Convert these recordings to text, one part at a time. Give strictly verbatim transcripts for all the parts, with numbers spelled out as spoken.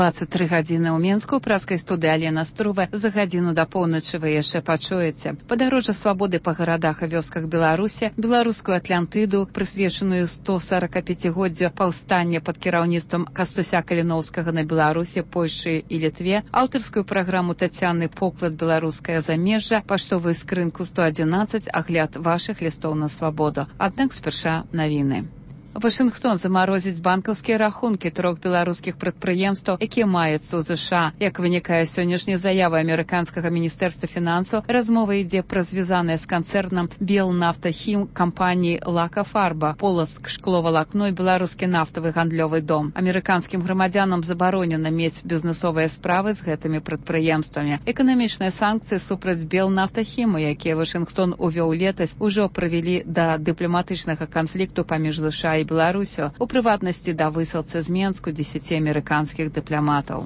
двадцать тры гадзіны ў Менску, у праскай студыі Алена Струва. За гадзіну да поўначы вы яшчэ пачуеце. Падарожжа свабоды па гарадах і вёсках Беларусі, беларускую Атлантыду, прысвечаную сто сорокапяцігоддзю паўстання пад кіраўніцтвам Кастуся Каліноўскага на Беларусі, Польшы і Літве, аўтарскую праграму Тацяны «Поклад беларускае замежжа», паштовую скрынку сто адзінаццаць, агляд вашых лістоў на свабоду. Аднак спярша навіны. Вашынгтон замарозіць банкаўскія рахункі трох беларускіх прадпрыемстваў, якія маюцца ў ЗША. Як вынікае з сённяшняй заявы амерыканскага міністэрства фінансаў, размова ідзе пра звязаныя з канцэрнам «Белнафтахім» кампаніі «Лакафарба», «Полацк шкловалакно» і беларускі нафтавы гандлёвы дом. Амерыканскім грамадзянам забаронена мець бізнесовыя справы з гэтымі прадпрыемствамі. Эканамічныя санкцыі супраць «Белнафтахіму», якія Вашынгтон увёў летась, ужо прывялі да дыпламатычнага канфлікту паміж ЗША і Беларусю, у прыватнасці да высылцы з Менску дзесяці амерыканскіх дыпламатаў.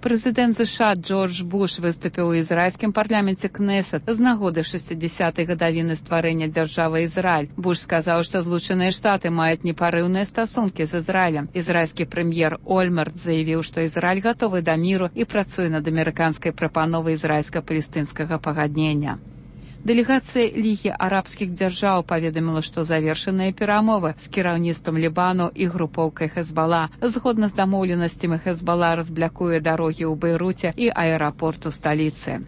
Прэзідэнт ЗША Джордж Буш выступіў у ізраільскім парламенце Кнесет з нагоды шэсцідзясятай гадавіны стварэння дзяржавы Ізраіль. Буш сказаў, што Злучаныя Штаты маюць непарыўныя стасункі з Ізраілем. Ізраільскі прэм'ер Ольмерт заявіў, што Ізраіль гатовы да міру і працуе над амерыканскай прапановай ізраільска-палестынскага пагаднення. Дэлегацыя Лігі арабскіх дзяржаў паведаміла, што завершаныя перамовы з кіраўніцтвам Лібану і групоўкай Хезбала. Згодна з дамоўленасцямі, Хезбала разблякуе дарогі ў Бейруце і аэрапорт у сталіцы.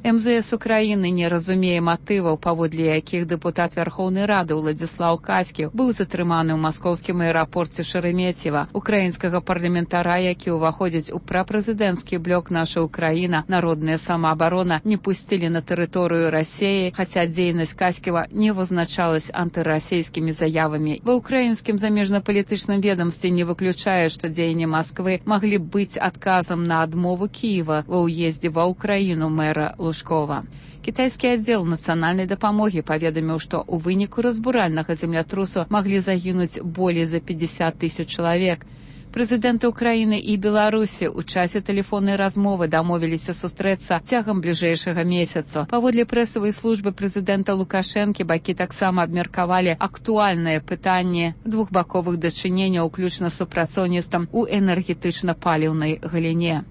эм зэ эс Украіны не разумее матываў, паводле якіх дэпутат Вярхоўнай Рады Уладзіслаў Каськів быў затрыманы ў маскоўскім аэрапорце Шереметьева. Украінскага парламентара, які ўваходзіць у прапрэзідэнцкі блок «Наша Украіна», народная самаабарона, не пусцілі на тэрыторыю Расіі, хаця дзейнасць Каськіва не вызначалась антырасійскімі заявамі. Ва ўкраінскім замежнапалітычным ведамстве не выключае, што дзеянні Масквы маглі быць адказам на адмову Кіева ва ўездзе ва Ўкраіну мэра Лужкова. Кітайскі аддзел нацыянальнай дапамогі паведаміў, што ў выніку разбуральнага землятрусу маглі загінуць болей за пятьдесят тысяч чалавек. Прэзідэнты Украіны і Беларусі ў часе тэлефоннай размовы дамовіліся сустрэцца цягам бліжэйшага месяцу. Паводле прэсавай службы прэзідэнта Лукашэнкі, бакі таксама абмеркавалі актуальнае пытанне двухбаковых дачыненняў, уключна з супрацоўніцтвам у энергетычна-паліўнай галіне.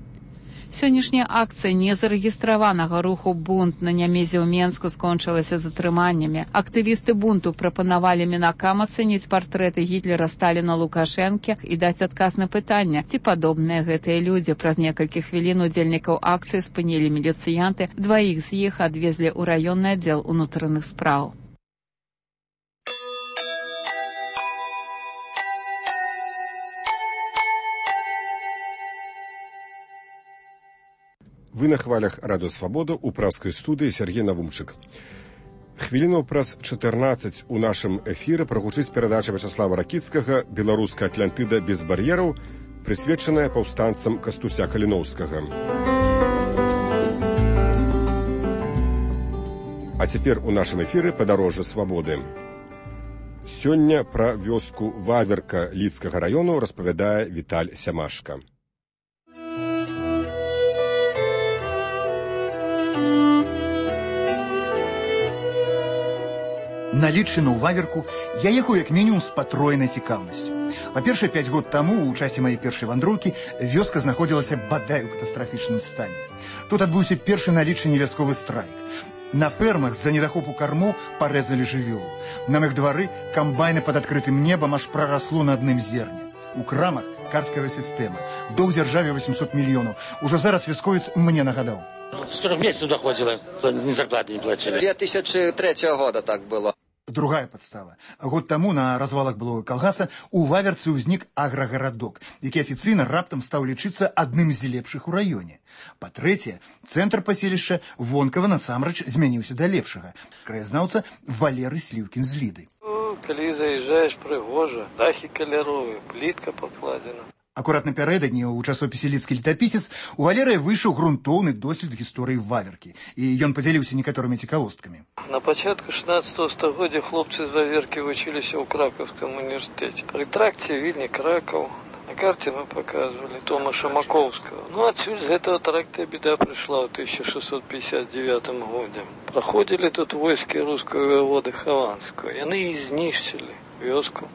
Сённяшняя акцыя незарэгістраванага руху «Бунт» на Нямезе ў Менску скончылася затрыманнямі. Актывісты бунту прапанавалі мінакам ацэніць партрэты Гітлера, Сталіна, Лукашэнкі і даць адказ на пытанне, ці падобныя гэтыя людзі. Праз некалькі хвілін удзельнікаў акцыі спынілі міліцыянты, дваіх з іх адвезлі ў раённы аддзел унутраных спраў. Вы на хвалях Радыё Свабода ў праскай студыі Сергей Навумчык. Хвіліну праз чатырнаццаць у нашым эфіры прагучыць перадача Вячаслава Ракіцкага «Беларуская Атлантыда без бар'ераў», прысвечаная паўстанцам Кастуся Каліноўскага. А цяпер у нашым эфіры «Падарожжа свабоды». Сёння пра вёску Ваверка Лідскага раёну распавядае Віталь Сямашка. На Лідчыну ў Ваверку я ехаў як мінімум з патроенай цікаўнасцю. Па-першае, пяць год таму, у часе маёй першай вандроўкі, вёска знаходзілася бадай у катастрафічным стане. Тут адбыўся першы на Лідчыне вясковы страйк. На фермах з-за недахопу кармоў парэзалі жывёлу. На мых двары камбайны пад адкрытым небам аж прарасло на адным зерне. У крамах карткавая сістэма. Доўг дзяржаве восемьсот мільёнаў. Ужо зараз вясковец мне нагадаў. сорок месяцев доходило, ни зарплаты не платили. две тысячи третьего года так было. Другая подстава. Год таму на развалах былога калгаса у Ваверцы ўзнік аграгарадок, які афіцыйна раптам стаў лічыцца адным з лепшых у раёне. Па-трэцяе, цэнтр паселішча вонкава насамрэч змяніўся да лепшага. Краязнаўца Валерый Сліўкін з Ліды. О, калі заязджаеш, прыгожа, дахі каляровыя, плітка пакладзена. Акурат напярэдадні ў часопісе «Лідскі летапісец» у Валерыя выйшаў грунтоўны дослед гісторыі Ваверкі, і ён падзяліўся некаторымі цікавосткамі. На пачатку шестнадцатого стагоддзя хлопцы з Ваверкі вучыліся ў Кракаўскім універсітэце. Пры тракце Вільні Кракаў. На карте мы показывали Томаша Маковского. Ну, отсюда с этого тракта беда пришла в тысяча шестьсот пятьдесят девятом году. Проходили тут войски русского воеводы Хованского, и они их знищили. вёску.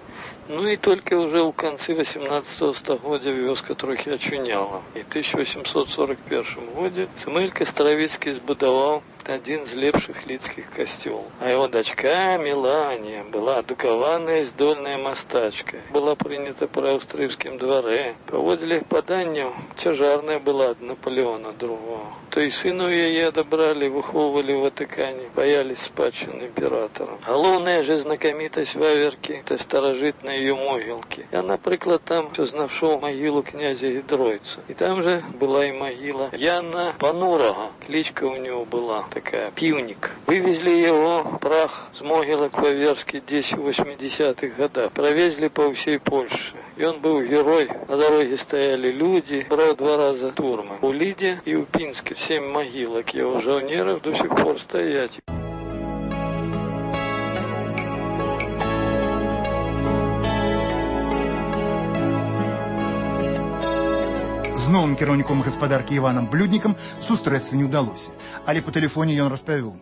Ну и только уже в конце восемнадцатого стагоддзя вёска трохи очуняла. И в тысяча восемьсот сорок первом году Самуэль Кастравіцкі збудаваў один из лепших лидских костюмов. А его дочка Мелания была адукаваная здольная мастачка. Была принята при австрийском дворе. Поводили поданию, цяжарная была от Наполеона другого. То и сыну ее одобрали, выховывали в Ватикане, боялись спадщины императора. Головная же знакомитость Ваверки, это старожитные ее могилки. Я, например, там нашел могилу князя Гідройца. И там же была и могила Яна Панурага. Кличка у него была такая, Пивник. Вывезли его прах с могилок Ваверски десять в восьмидесятых годах. Провезли по всей Польше. И он был герой. На дороге стояли люди. Брал два раза турмы. У Лиде и у Пинска семь могилок его жаунеров до сих пор стоять. З новым кіраўніком гаспадаркі Іванам Блюднікам сустрэцца не ўдалося, але па тэлефоне ён распавёў.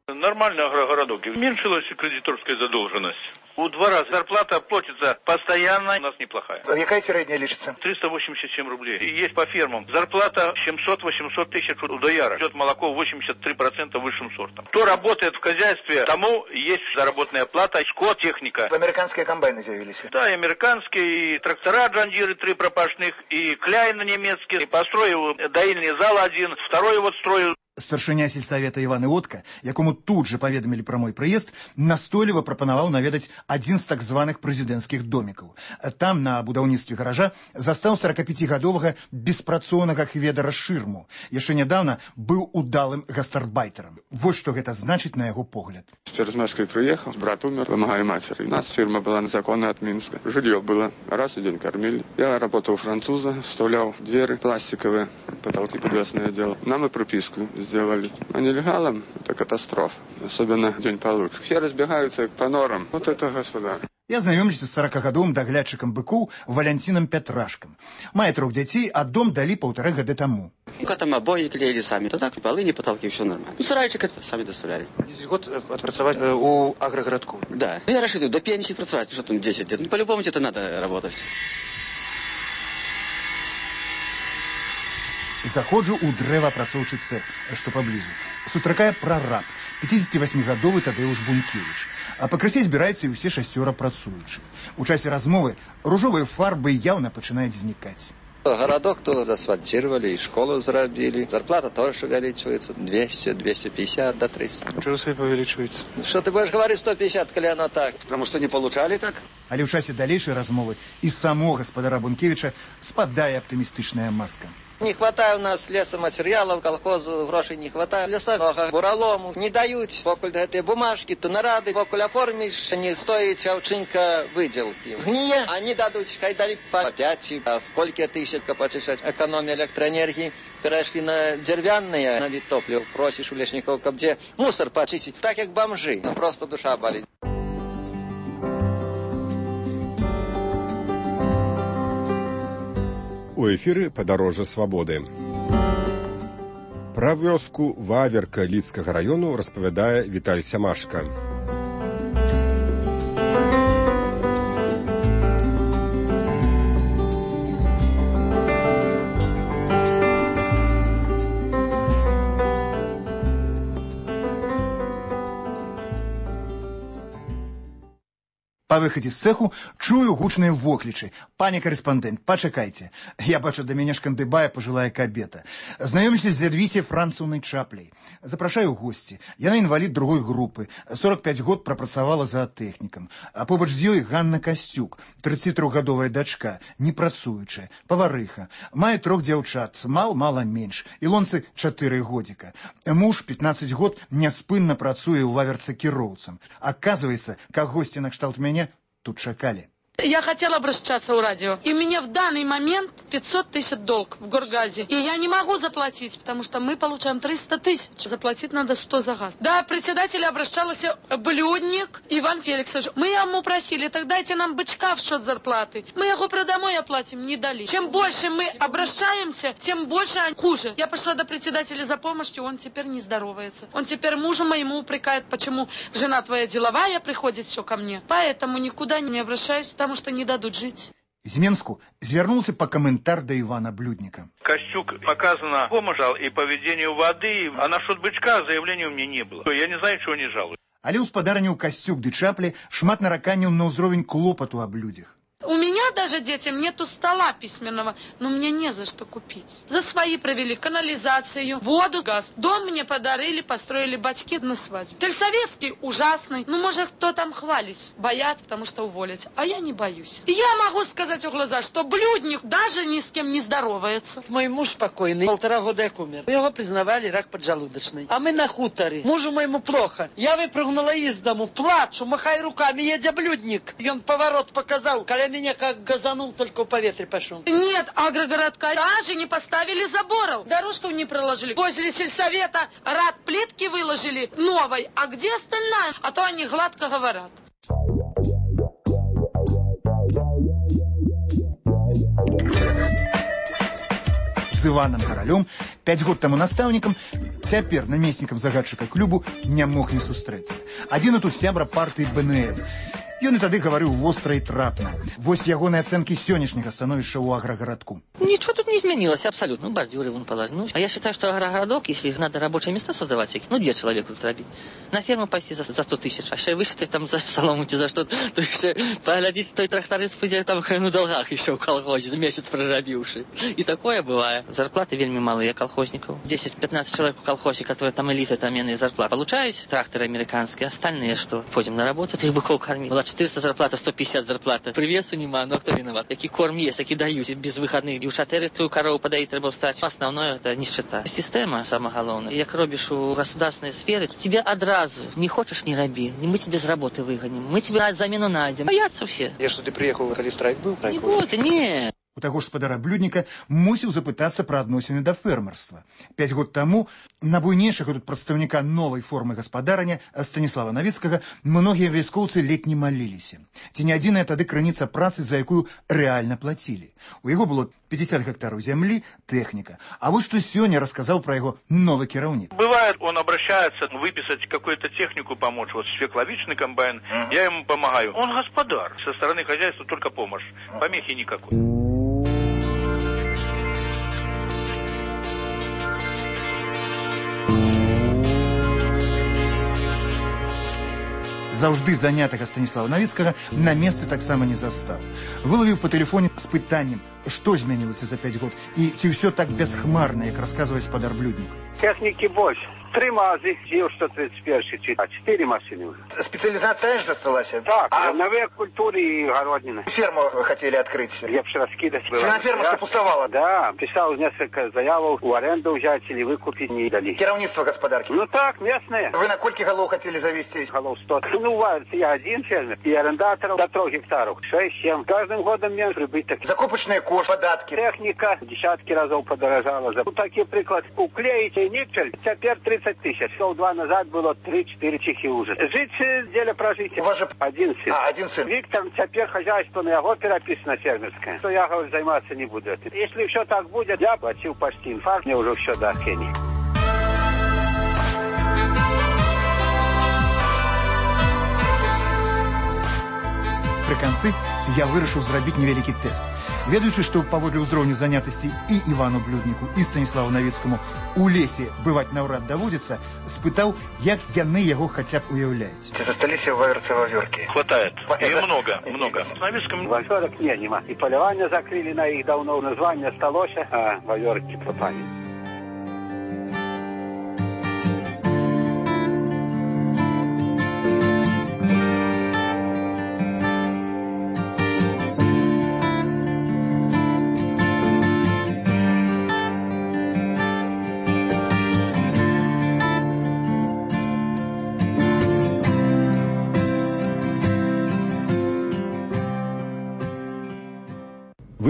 Нормально агрогородок. Уменьшилась кредиторская задолженность. У два раза зарплата платится постоянно, у нас неплохая. А какая средняя лечится? триста восемьдесят семь рублей. И есть по фермам. Зарплата семьсот-восемьсот тысяч у дояра. Идет молоко восемьдесят три процента высшим сортом. Кто работает в хозяйстве, тому есть заработная плата, скот, техника. Американские комбайны заявились? Да, и американские, и трактора Джандиры, три пропашных, и Кляйна немецкие. И построил доильный зал один, второй вот строил. Старшыня сельсавета Іван Іотка, якому тут же паведамілі пра мой прыезд, настойліва прапанаваў наведаць адзін з так званых прэзідэнцкіх домікаў. Там, на будаўніцтве гаража, застаў сорокапяцігадовага беспрацоўнага хведара Шырму. Яшчэ нядаўна быў удалым гастарбайтарам. Вось што гэта значыць на яго погляд. Через Москвы приехал, брат умер, помогали матери. У нас фирма была незаконная от Минска. Жилье было, раз в день кормили. Я работал у француза, вставлял двери пластиковые, потолки подвесное дело. Нам и прописку сделали. А нелегалам это катастрофа. Особенно день получше. Все разбегаются по норам. Вот это господа. Я знаёмлюся з сорокагадовым даглядчыкам быкоў Валянцінам Пятрашкам. Мае трох дзяцей, а дом далі паўтары гады таму. Там обои клеили сами. То так, полы, не потолки, все нормально. Ну, сарайчик это сами доставляли. десять год отпрацовать э, у агрогородку. Да. Ну, я рассчитываю, до пенсии працевать, что там десять лет. Ну, по-любому тебе надо работать. Заходжу ў дрэваапрацоўчы цэх, што паблізу. Сустракае прараб, пяцідзесяцівасьмігадовы Тадеуш Бункевіч. А пакрысе збіраюцца і ўсе шасцёра працуючых. У часе размовы ружовыя фарбы яўна пачынаюць знікаць. Городок то засфальтировали, и школу зарабили. Зарплата тоже увеличивается. двести, двести пятьдесят до триста. Чего все увеличивается? Что ты будешь говорить сто пятьдесят, коли оно так? Потому что не получали так. Але ў часе далейшай размовы і само гаспадара Бункевіча спадае аптымістычная маска. Не хватает у нас лесоматериалов, колхозу грошей не хватает. Леса много, буралому не дают. Покуль этой бумажки, то нарады, покуль оформишь, не стоит овчинка выделки. Гние, они дадут, хай дали по пять, а сколько тысяч почищать экономия электроэнергии. Перешли на деревянные, на вид топлива. Просишь у лесников, где мусор почистить, так как бомжи. Ну, просто душа болит. У эфіры падарожжа свабоды. Пра вёску Ваверка Лідскага раёну распавядае Віталь Сямашка. Па выхадзе з цэху чую гучныя воклічы. Пане карэспандэнт, пачакайце. Я бачу, да мяне шкандыбае пажылая кабета. Знаёмлюся з Ядвісяй Францаўнай Чапляй. Запрашаю ў госці. Яна інвалід другой групы. сорок пяць год прапрацавала заатэхнікам. А побач з ёй Ганна Касцюк, трыццацітрохгадовая дачка, не працуючая, паварыха. Мае трох дзяўчат, мал-мала менш. Ілонцы чатыры годзіка. Муж пятнаццаць год няспынна працуе ў Ваверцы кіроўцам. Аказваецца, кагосьці накшталт мяне тут чакалі. Я хотела обращаться в радио. И мне в данный момент пятьсот тысяч долг в Горгазе. И я не могу заплатить, потому что мы получаем триста тысяч. Заплатить надо сто за газ. Да, председатель обращался Блюдник Иван Феликсович. Мы ему просили, так дайте нам бычка в счет зарплаты. Мы его продомой оплатим, не дали. Чем больше мы обращаемся, тем больше хуже. Я пошла до председателя за помощью, он теперь не здоровается. Он теперь мужу моему упрекает, почему жена твоя деловая приходит все ко мне. Поэтому никуда не обращаюсь, потому что не дадут жить. З Менску звернулся по комментар до Ивана Блюдника. Костюк показано помощал и по ведению воды, а насчет бычка заявления у меня не было. Я не знаю, чего не жалуюсь. Але ў спадарні ў Касцюк ды Чаплі шмат нараканняў на ўзровень клопату аб людзях. У меня даже детям нету стола письменного, но мне не за что купить. За свои провели канализацию, воду, газ. Дом мне подарили, построили батьки на свадьбе. Сельсоветский ужасный. Ну, может, кто там хвалить? Боятся, потому что уволить. А я не боюсь. И я могу сказать в глаза, что Блюдник даже ни с кем не здоровается. Мой муж покойный, полтора года как умер. Его признавали рак поджелудочный. А мы на хуторе. Мужу моему плохо. Я выпрыгнула из дому, плачу, махаю руками, едя Блюдник. И он поворот показал, коля меня как газанул, только в поветре пошел. Нет, агрогородка даже не поставили заборов. Дорожку не проложили. Возле сельсовета рад плитки выложили новой. А где остальная? А то они гладко говорят. З Іваном Каралём, пяць год таму настаўнікам, цяпер намеснікам загадчыка клубу не мог не сустрэцца. Адзін тут сябра партыі Бэ Эн Эф. Ён і тады гаварыў востра і трапна. Вось ягоныя ацэнкі сённяшняга становішча ў аграгарадку. Ничего тут не изменилось абсолютно. Ну, бордюры вон положены. Ну, а я считаю, что агрогородок, если надо рабочие места создавать, ну, где человеку тут робить? На ферму пойти за, за сто тысяч, а еще вышли там за солому за что, то еще поглядеть, той тракторист пойдет там на долгах еще в колхозе, месяц прорабивший. И такое бывает. Зарплаты вельми малые колхозников. десять-пятнадцать человек в колхозе, которые там элиты, там иные зарплаты получают, тракторы американские, остальные что? Пойдем на работу, трех быков кормить. Была четыреста зарплата, сто пятьдесят зарплата. Привесу нема, но кто виноват? Какие корм есть, какие дают, без выходных. И у шатеры ту корову подоить треба встать. Основное это нищета. Система самое главное. Як робишь у государственной сферы, тебе одразу не хочешь, не роби. Мы тебя с работы выгоним. Мы тебе замену найдем. Боятся все. Я что, ты приехал, когда страйк был? Не будет, нет. У таго ж спадара Блюдніка мусіў запытацца пра адносіны да фермерства. Пяць год таму на буйнейшага тут прадстаўніка новай формы гаспадарання Станіслава Навіцкага многія вяскоўцы ледь не маліліся. Ці не адзіная тады крыніца працы, за якую рэальна плацілі. У яго было пятьдесят гектараў зямлі, тэхніка. А вот што сёння расказаў пра яго новы кіраўнік. Бывает, он обращается выписать какую-то технику, помочь. Вот свекловичный комбайн, uh-huh. я ему помогаю. Он господар. Со стороны хозяйства только помощь. Помехи никакой. Заўжды занятага Станіслава Навіцкага на месцы таксама не застаў. Вылавіў па тэлефоне з пытаннем, што змянілася за пяць год і ці ўсё так бясхмарна, як расказвае спадар Блюднік. Технікі больш. Три мазы, Ил сто тридцать один, а четыре машины уже. Специализация же осталась? Так, а новые культуры и огородины. Ферму хотели открыть? Лепше раскидать. Вся ферма что пустовала? Да, писал несколько заявок, у аренду взять или выкупить не дали. Керовництво господарки? Ну так, местные. Вы на кольки голов хотели завести? Голов сто. Ну, я один фермер, и арендаторов до трех гектаров. шесть-семь. Каждым годом мне прибыток. Закупочные кошь, податки. Техника десятки разов подорожала. Вот такие приклад. Уклеите никель, теперь тридцать тысяч. Шел два назад было три-четыре чехи уже. Жить деле прожить. У вас же один сын. А, один сын. Виктор, теперь хозяйство на его переписано фермерское. Что я, говорю, заниматься не буду. Если все так будет, я платил почти инфаркт, мне уже все до хрени. Прыканцы я вырашыў зрабіць невялікі тэст. Ведаючы, што паводле ўзроўню занятасці і Івану Блюдніку, і Станіславу Навіцкаму у лесе бываць наўрад даводзіцца, спытаў, як яны яго хаця б уяўляюць. Ці засталіся ваверцы ваверки? Хватает. И много, много. С Навіцком ваверок не, нема. И поливание закрыли на их давно, название осталось, а ваверки пропали.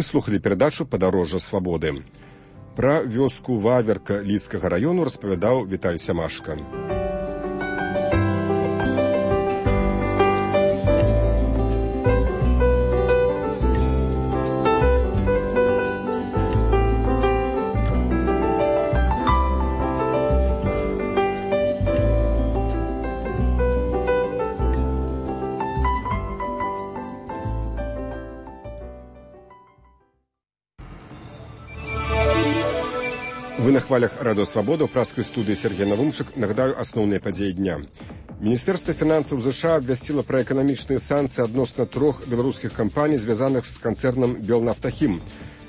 Выслухалі перадачу «Падарожжа свабоды». Пра вёску Ваверка Лідскага раёну распавядаў Віталь Сямашка. Вы на хвалях радио «Свобода» в пражской студии Сергей Навумчик. Нагадаю основные подеи дня. Министерство финансов США обвестило про экономичные санкции относно трех белорусских компаний, связанных с концерном «Белнафтахим».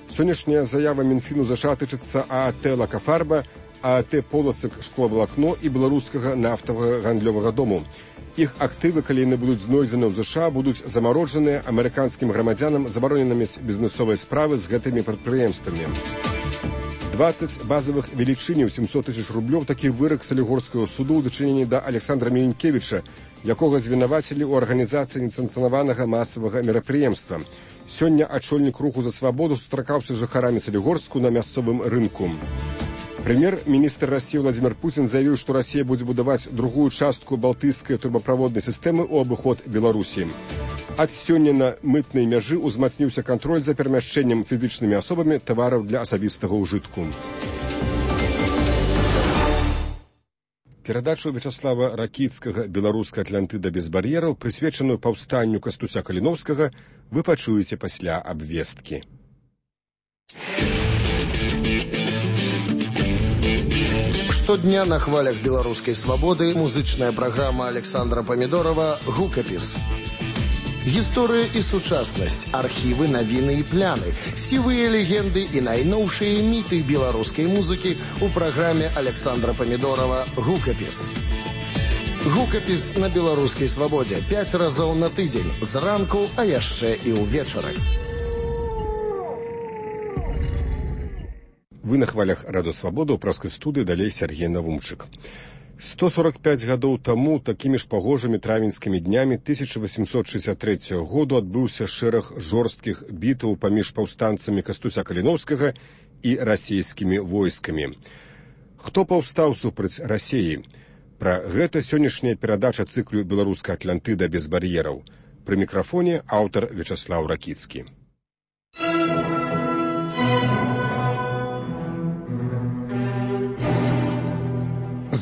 Сегодняшняя заява Минфину США тычится ААТ «Лакафарба», ААТ «Полоцик шкловолокно» и белорусского нафтового гандлевого дому. Их активы, коли не будут знойдены в США, будут заморожены американским громадянам, забороненными бизнесовые справы с гэтыми предприемствами. двадцать базовых велічынів сімсот тысяч рублёў такі вырак Салігорскага суду ў дачыненні да Александра Міленкевіча, якога звінавацілі ў арганізацыі несанкцыянаванага масавага мерапрыемства. Сёння ачольнік руху за свабоду сустракаўся з жыхарамі Салігорску на мясцовым рынку. Прэм'ер-міністр Расіі Владзімір Пуцін заявіў, што Расія будзе будаваць другую частку балтыйскай турбаправоднай сістэмы ў абыход Беларусі. Ад сёння на мытнай мяжы ўзмацніўся кантроль за перамяшчэннем фізічнымі асобамі тавараў для асабістага ўжытку. Перадачу Вячаслава Ракіцкага «Беларуская Атлантыда без бар'ераў», прысвечаную паўстанню Кастуся Каліноўскага, вы пачуеце пасля абвесткі. Штодня на хвалях беларускай свабоды музычная праграма Александра Памідорова «Гукапіс». Гісторыя і сучаснасць, архівы, навіны і пляны, сівыя легенды і найноўшыя міты беларускай музыкі ў праграме Александра Памідорова «Гукапіс». Гукапіс на беларускай свабодзе пяць разоў на тыдзень, зранку, а яшчэ і ўвечары. Вы на хвалях радио «Свобода» ў пражской студыі, далей Сергей Навумчик. сто сорок пять гадоў таму такімі ж пагожымі травеньскімі днямі тысяча восемьсот шестьдесят третьего году адбыўся шэраг жорсткіх бітаў паміж паўстанцамі Кастуся Каліноўскага і расійскімі войскамі. Хто паўстаў супраць Расіі? Пра гэта сённяшняя перадача цыклю «Беларуская Атлантыда без бар'ераў». Пры мікрафоне аўтар Вячаслав Ракіцкі.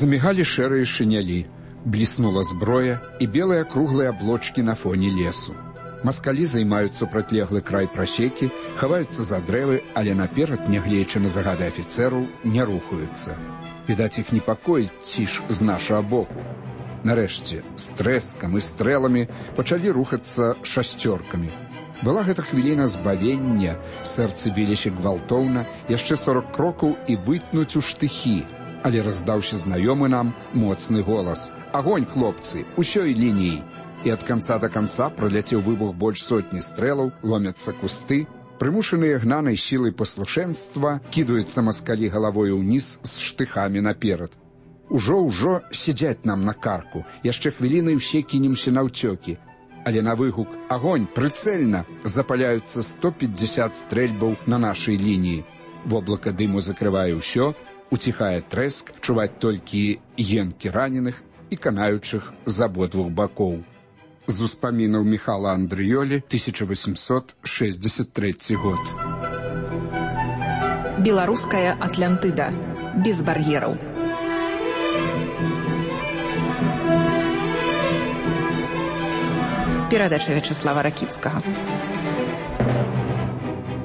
Замігалі шэрыя шынялі, бліснула зброя і белыя круглыя аблочкі на фоне лесу. Маскалі займаюць супрацьлеглы край прасекі, хаваюцца за дрэвы, але наперад, нягледзячы на загады афіцэраў, не рухаюцца. Відаць, іх непакоіць ціш з нашага боку. Нарэшце, з трэскам і стрэламі пачалі рухацца шасцёркамі. Была гэта хвіліна збавення, сэрцы біліся гвалтоўна, яшчэ сорок крокаў і вытнуць у штыхі. Але раздаўся знаёмы нам моцны голас. «Агонь, хлопцы, усёй лініі!» І ад канца да канца праляцеў выбух больш сотні стрэлаў, ломяцца кусты. Прымушаныя гнанай сілай паслушэнства кідаюцца маскалі галавой уніз з штыхамі наперад. Ужо-ўжо сядзяць нам на карку, яшчэ хвіліны ўсе кінемся наўцёкі. Але на выгук «Агонь, прыцэльна!» запаляюцца сто пятьдесят стрэльбаў на нашай лініі. Воблака дыму закрывае ўсё, уціхае трэск, чуваць толькі енкі раненых і канаючых з абодвух бакоў. З успамінаў Міхала Андрыёлі, тысяча восемьсот шестьдесят третий год. Беларуская Атлантыда. Без бар'ераў. Перадача Вячаслава Ракіцкага.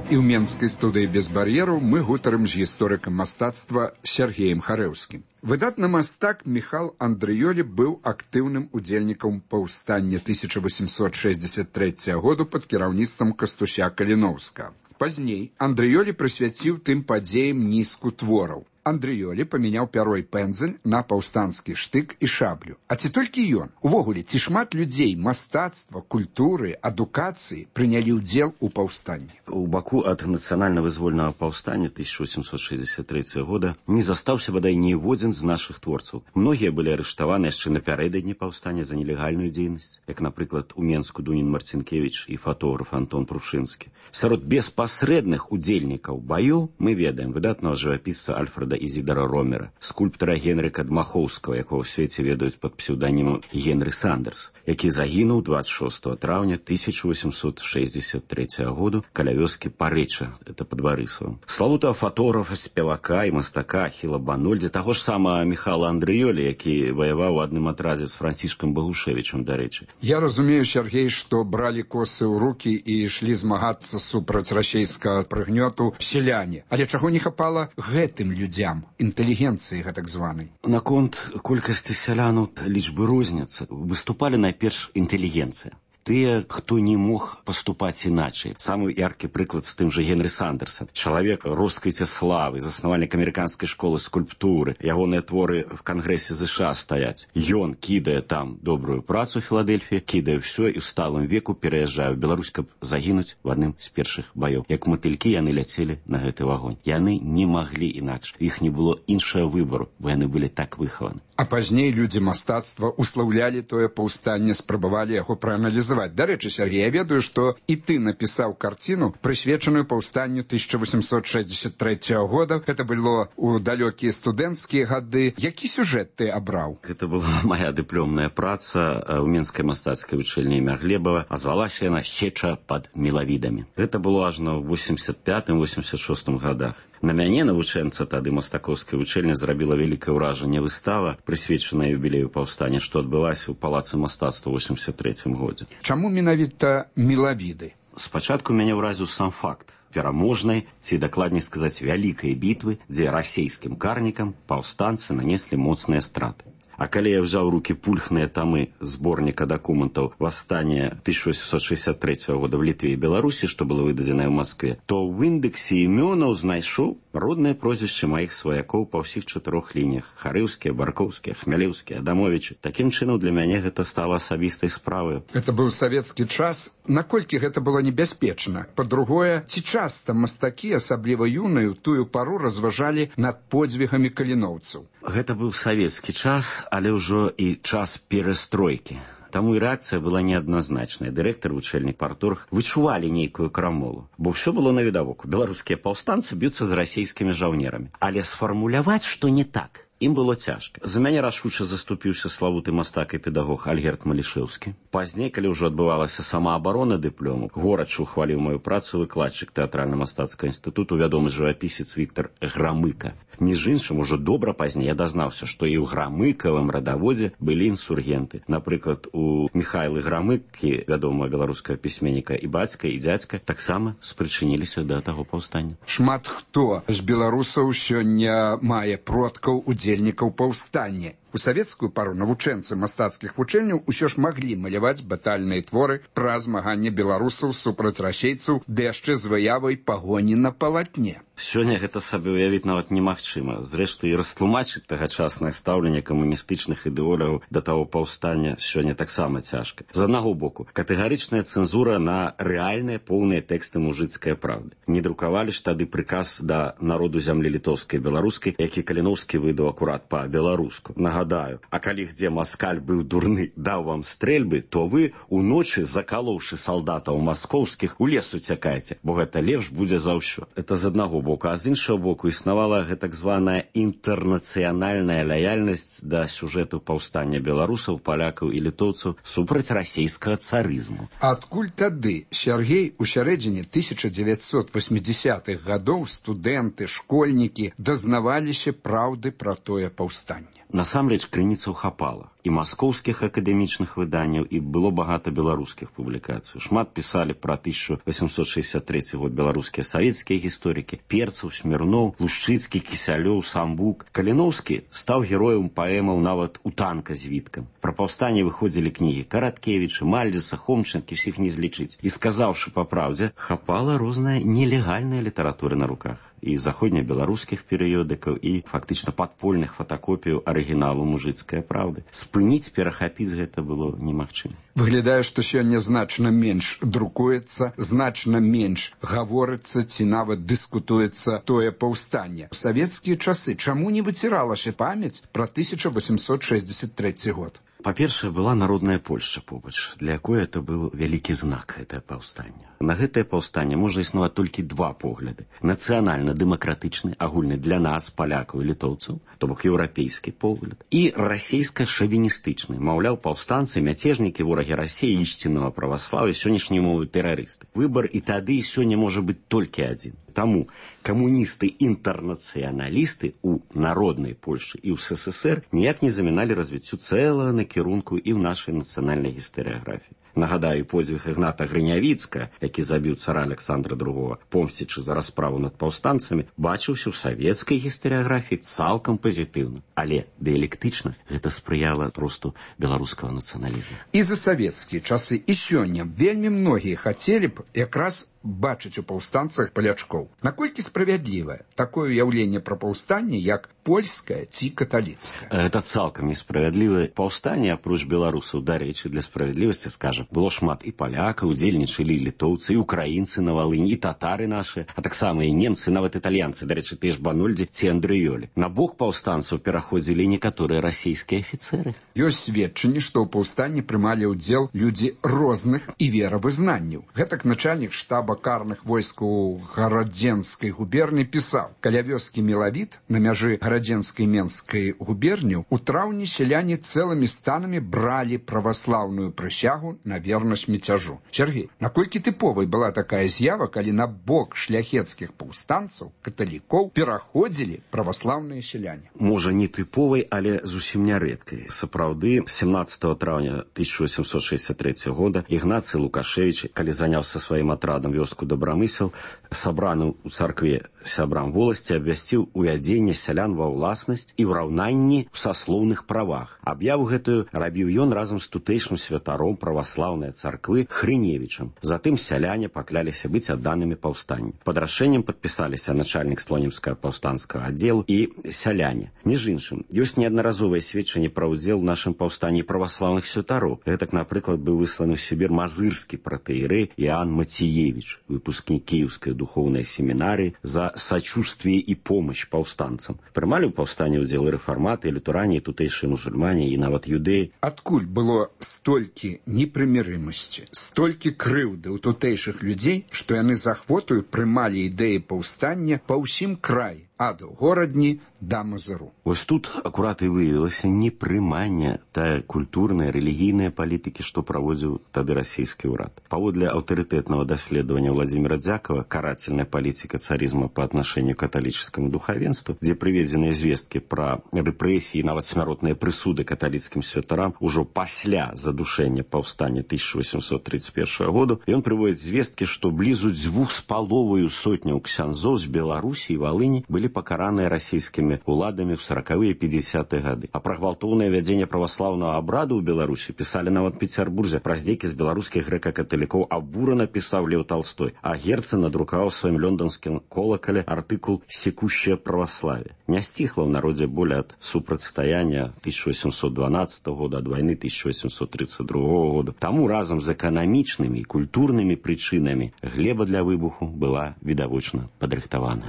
І ў менскай студыі без бар'ераў мы гутарым з гісторыкам мастацтва Сергеем Харэўскім. Выдатны мастак Міхал Андрыёлі быў актыўным удзельнікам паўстання тысяча восемьсот шестьдесят третьего году пад кіраўніцтвам Кастуся Каліноўскага. Пазней Андрыёлі прысвяціў тым падзеям нізку твораў. Андрыёлі памяняў пяро і пэндзель на паўстанскі штык і шаблю. А ці толькі ён? Увогуле, ці шмат людзей мастацтва, культуры, адукацыі прынялі ўдзел у паўстанні? У Баку ад нацыянальна-вызвольнага паўстання тысяча восемьсот шестьдесят третьего года не застаўся бадай ніводзін з нашых творцаў. Многія былі арыштаваны яшчэ напярэдадні паўстання за нелегальную дзейнасць, як, напрыклад, у Менску Дунін Марцінкевіч і фотограф Антон Прушынскі. Сярод беспасрэдных удзельнікаў баёў мы ведаем выдатнага жывапісца Альфреда Ізідара Ромера, скульптара Генрыка Дмахоўскага, якого ў свеце ведаюць пад псеўданімам Генры Сандерс, які загінуў двадцать шестого траўня тысяча восемьсот шестьдесят третьего году каля вёскі Парэча, это пад Барысавым. Славутага фотографа, спевака і мастака Ахіла Банольдзі, таго ж самага Міхала Андрыёлі, які ваяваў у адным атрадзе з Францішкам Багушевічам, дарэчы. Я разумею, Сергей, што бралі косы ў рукі і ішлі змагацца супраць расейскага прыгнёту сяляне. Але чаго не хапала гэтым людзям, інтэлігенцыі гэтак званай? Наконт колькасці сялянаў лічбы розняцца. Выступалі найперш інтэлігенцыя. Тыя, хто не мог паступаць іначай. Самы яркі прыклад з тым жа Генры Сандерса. Чалавек росквіце славы, заснавальнік амерыканскай школы скульптуры. Ягоныя творы в Кангрэсе ЗША стаяць. Ён кідае там добрую працу ў Філадельфіі, кідае ўсё і ў сталым веку пераязджае ў Беларусь, каб загінуць в адным з першых баёў. Як матылькі яны ляцелі на гэты вагонь. Яны не маглі інакш. Іх не было іншага выбару, бо яны былі так выхаваны. А пазней людзі мастацтва услаўлялі тое паўстанне, спрабавалі яго прааналізаваць. Дарэчы, Сергей, я ведаю, што і ты напісаў карціну, прысвечаную паўстанню тысяча восемьсот шестьдесят третьего года. Гэта было ў далёкія студэнцкія гады. Які сюжэт ты абраў? Гэта была моя дыпломная праца ў Менскай мастацкай вучэльні імя Глебава, а звалася яна «Сеча пад мелавідамі». Гэта было ажно ў восемьдесят пятым восемьдесят шостым годах. На мяне, навучэнца тады мастакоўскай вучэльні, зрабіла вялікае ўражанне выстава, прысвечаная юбілею паўстання, што адбылася ў палацы мастацтва ў восемьдесят третьем годзе. Чаму менавіта мелавіды? Спачатку мяне ўразіў сам факт пераможнай, ці дакладней сказаць, вялікай бітвы, дзе расейскім карнікам паўстанцы нанеслі моцныя страты. А калі я взял в руки пульхныя тамы зборніка дакументаў «Восстание тысяча восемьсот шестьдесят третьего года в Литве и Беларуси», что было выдадзена в Москве, то в индексе імёнаў знайшоў роднае прозвішча маіх сваякоў па ўсіх чатырох лініях: Харыўскія, Баркоўскія, Хмялеўскія, Адамовічы. Такім чынам для мяне гэта стала асабістай справай. Это быў савецкі час. Наколькі гэта было небяспечна? Па-другое, ці часта мастакі, асабліва юныя, у тую пару разважалі над подзвігамі каліноўцаў? Гэта быў савецкі час, але ўжо і час перастройкі. Таму і рэакцыя была неадназначная. Дырэктар, вучэльнік, парторг вычувалі нейкую крамолу, бо ўсё было навідавоку. Беларускія паўстанцы б'юцца з расейскімі жаўнерамі. Але сфармуляваць, што не так, ім было цяжка. За мяне рашуча заступіўся славуты мастак і педагог Альгерд Малішэўскі. Пазней, калі ўжо адбывалася самаабарона дыплому, горача ухваліў маю працу выкладчык тэатральна-мастацкага інстытуту, вядомы жывапісец Віктар Грамыка. Між іншым, ужо добра пазней я дазнаўся, што і ў грамыкавым радаводзе былі інсургенты. Напрыклад, у Міхайлы Грамыкі, вядомага беларускага пісьменніка, і бацька, і дзядзька таксама спрычыніліся да таго паўстання. Шмат хто з беларусаў сёння мае продкаў удзельнікаў паўстання. У савецкую пару навучэнцы мастацкіх вучэнняў усё ж маглі маляваць батальныя творы пра змаганне беларусаў супраць расейцаў, ды яшчэ з выявай пагоні на палатне. Сёння гэта сабе ўявіць нават немагчыма. Зрэшты, і растлумачыць тагачаснае стаўленне камуністычных ідэолагаў да таго паўстання сёння таксама цяжка. З аднаго боку, катэгарычная цэнзура на рэальныя поўныя тэксты мужыцкай правды. Не друкавалі ж тады прыказ да народу зямлі літоўскай і беларускай, які Каліноўскі выдаў акурат па-беларуску. Нагадаю, а калі где маскаль быў дурны, даў вам стрэльбы, то вы уночы, закалоўшы салдатаў маскоўскіх, у лес уцякаеце, бо гэта лепш будзе за ўсё. Это з аднаго боку, а з іншага боку існавала гэтак званая інтэрнацыянальная лаяльнасць да сюжэту паўстання беларусаў, палякаў і літоўцаў супраць расейскага царызму. Адкуль тады, Сергей, у сярэдзіне тысяча дзевяцьсот восьмидесятых гадоў студэнты, школьнікі дазнаваліся праўды пра тое паўстанне? Насамрэч крыніцаў хапала. І маскоўскіх акадэмічных выданняў, і было багата беларускіх публікацый. Шмат пісалі пра тысяча восемьсот шестьдесят третий год беларускія савецкія гісторыкі: Перцаў, Смірноў, Лушчыцкі, Кісялёў, Самбук. Каліноўскі стаў героем паэмаў нават у танка з Віткам. Пра паўстанне выходзілі кнігі Караткевіча, Мальдзеса, Хомчынкі, ўсіх не злічыць. І сказаўшы па праўдзе, хапала розная нелегальная літаратура на руках. І заходнебеларускіх перыёдыкаў, і фактычна падпольных фотакопіяў арыгіналу мужыцкай праўды. Спыніць, перахапіць гэта было немагчыма. Выглядае, што сёння значна менш друкуецца, значна менш гаворыцца ці нават дыскутуецца тое паўстанне. У савецкія часы чаму не выціралася памяць пра тысяча восемьсот шестьдесят третий год? Па-першае, была народная Польшча побач, для якой это быў вялікі знак, гэтае паўстанне. На гэтае паўстанне можа існаваць толькі два погляды. Нацыянальна-дэмакратычны, агульны для нас, палякаў і літоўцаў, то бок еўрапейскі погляд, і расейска-шавіністычны. Маўляў, паўстанцы, мяцежнікі, ворагі Расіі, ісціннага праваслаўя, сённяшняй мовы тэрарысты. Выбар і тады, і сёння можа быць толькі адзін. Таму камуністы-інтэрнацыяналісты ў народнай Польшы і ў СССР ніяк не заміналі развіццю цэлага накірунку і ў нашай нацыянальнай гістарыяграфіі. Нагадаю, подзвіг Ігната Грынявіцкага, які забіў цара Александра другога, помсцячы за расправу над паўстанцамі, бачыўся ў савецкай гістарыяграфіі цалкам пазітыўна. Але дыялектычна гэта спрыяла росту беларускага нацыяналізму. І за савецкія часы і сёння вельмі многія хацелі б якраз бачыць у паўстанцах палячкоў. Наколькі справядлівае такое ўяўленне пра паўстанне, як польскае ці каталіцкае? Это цалкам несправядлівае паўстанне, апроч беларусаў. Дарэчы, для справядлівасці скажам, было шмат і палякаў, удзельнічалі і літоўцы, і украінцы на Валыні, і татары нашы, а таксама і немцы, нават італьянцы, дарэчы, тыя ж Банольдзі ці Андрыёлі. На бок паўстанцаў пераходзілі некаторыя расійскія афіцэры. Ёсць сведчанні, што ў паўстанні прымалі ўдзел людзі розных і веравызнанняў. Гэтак начальнік штаба карных войскаў Гарадзенскай губерні пісаў: каля вёскі Мелавіт на мяжы Гарадзенскай Менскай губерні у траўні сяляне цэлымі станамі бралі праваслаўную прысягу на вернасць міцяжу. Сергей, наколькі тыповай была такая з'ява, калі на бок шляхецкіх паўстанцаў, каталікоў, пераходзілі праваслаўныя сяляне? Можа, не тыповай, але зусім нярэдкай. Сапраўды, семнадцатого траўня тысяча восемьсот шестьдесят третьего года Ігнацый Лукашевич, калі заняў са сваім атрадам вёску Добрамысел, сабраным у царкве сябрам воласці, абвясціў увядзенне сялян ва ўласнасць і ўраўнанні ў саслоўных правах. Аб'яву гэтую рабіў ён разам з тутэйшым святаром праваслаўнай царквы Хрыневічам. Затым сяляне пакляліся быць адданымі паўстанню. Пад рашэннем падпісаліся начальнік слонімскага паўстанцкага аддзелу і сяляне. Між іншым, ёсць неаднаразовыя сведчанні пра ўдзел у нашым паўстанні праваслаўных святароў. Гэтак, напрыклад, быў высланы ў Сібір мазырскі пратэірэй Іоанн Мацеевич, выпускнік Кіеўскай духоўнай семінарыі, за сачувствие і помощь паўстанцам. Прымалі ў паўстанні ўдзел і рэфарматы, і літурані, і тутэйшыя мусульмане, і нават юдэі. Адкуль было столькі непрымірымасці, столькі крыўды ў тутэйшых людзей, што яны з ахвотаю прымалі ідэі паўстання па ўсім краі, ад горадні да Мазыру? Вось тут акурат і выявілася непрыманне тая культурная, рэлігійная палітыкі, што праводзіў тады расійскі ўрад. Паводле аўтарытэтнага даследавання Владзіміра Дзякава «Карательная палітыка царизма по отношению к каталічскому духовенству», дзе прыведзеныя звесткі пра рэпрэсіі, нават смяротныя прысуды каталіцкім святарам ужо пасля задушэння паўстання тысяча восемьсот тридцать первого году, ён прыводзіць звесткі, што блізу дзвюх з паловаю сотняў ксяндзоў з Беларусі і Валыні былі пакараныя расійскімі уладамі ў сорокавыя і пятидесятыя гады. А пра гвалтоўнае вядзенне праваслаўнага абраду ў Беларусі пісалі нават Пецярбурзе. Пра здзекі з беларускіх грэка-каталікоў абурана пісаў Леў Талстой, а Герцен надрукаваў сваім лёнданскім колакале артыкул «Секущее православие». Не сціхла ў народзе боль ад супрацьстаяння тысяча восемьсот дванадцатого года, ад вайны тысяча восемьсот тридцать другого года. Таму разам з эканамічнымі і культурнымі прычынамі глеба для выбуху была відавочна падрыхтавана.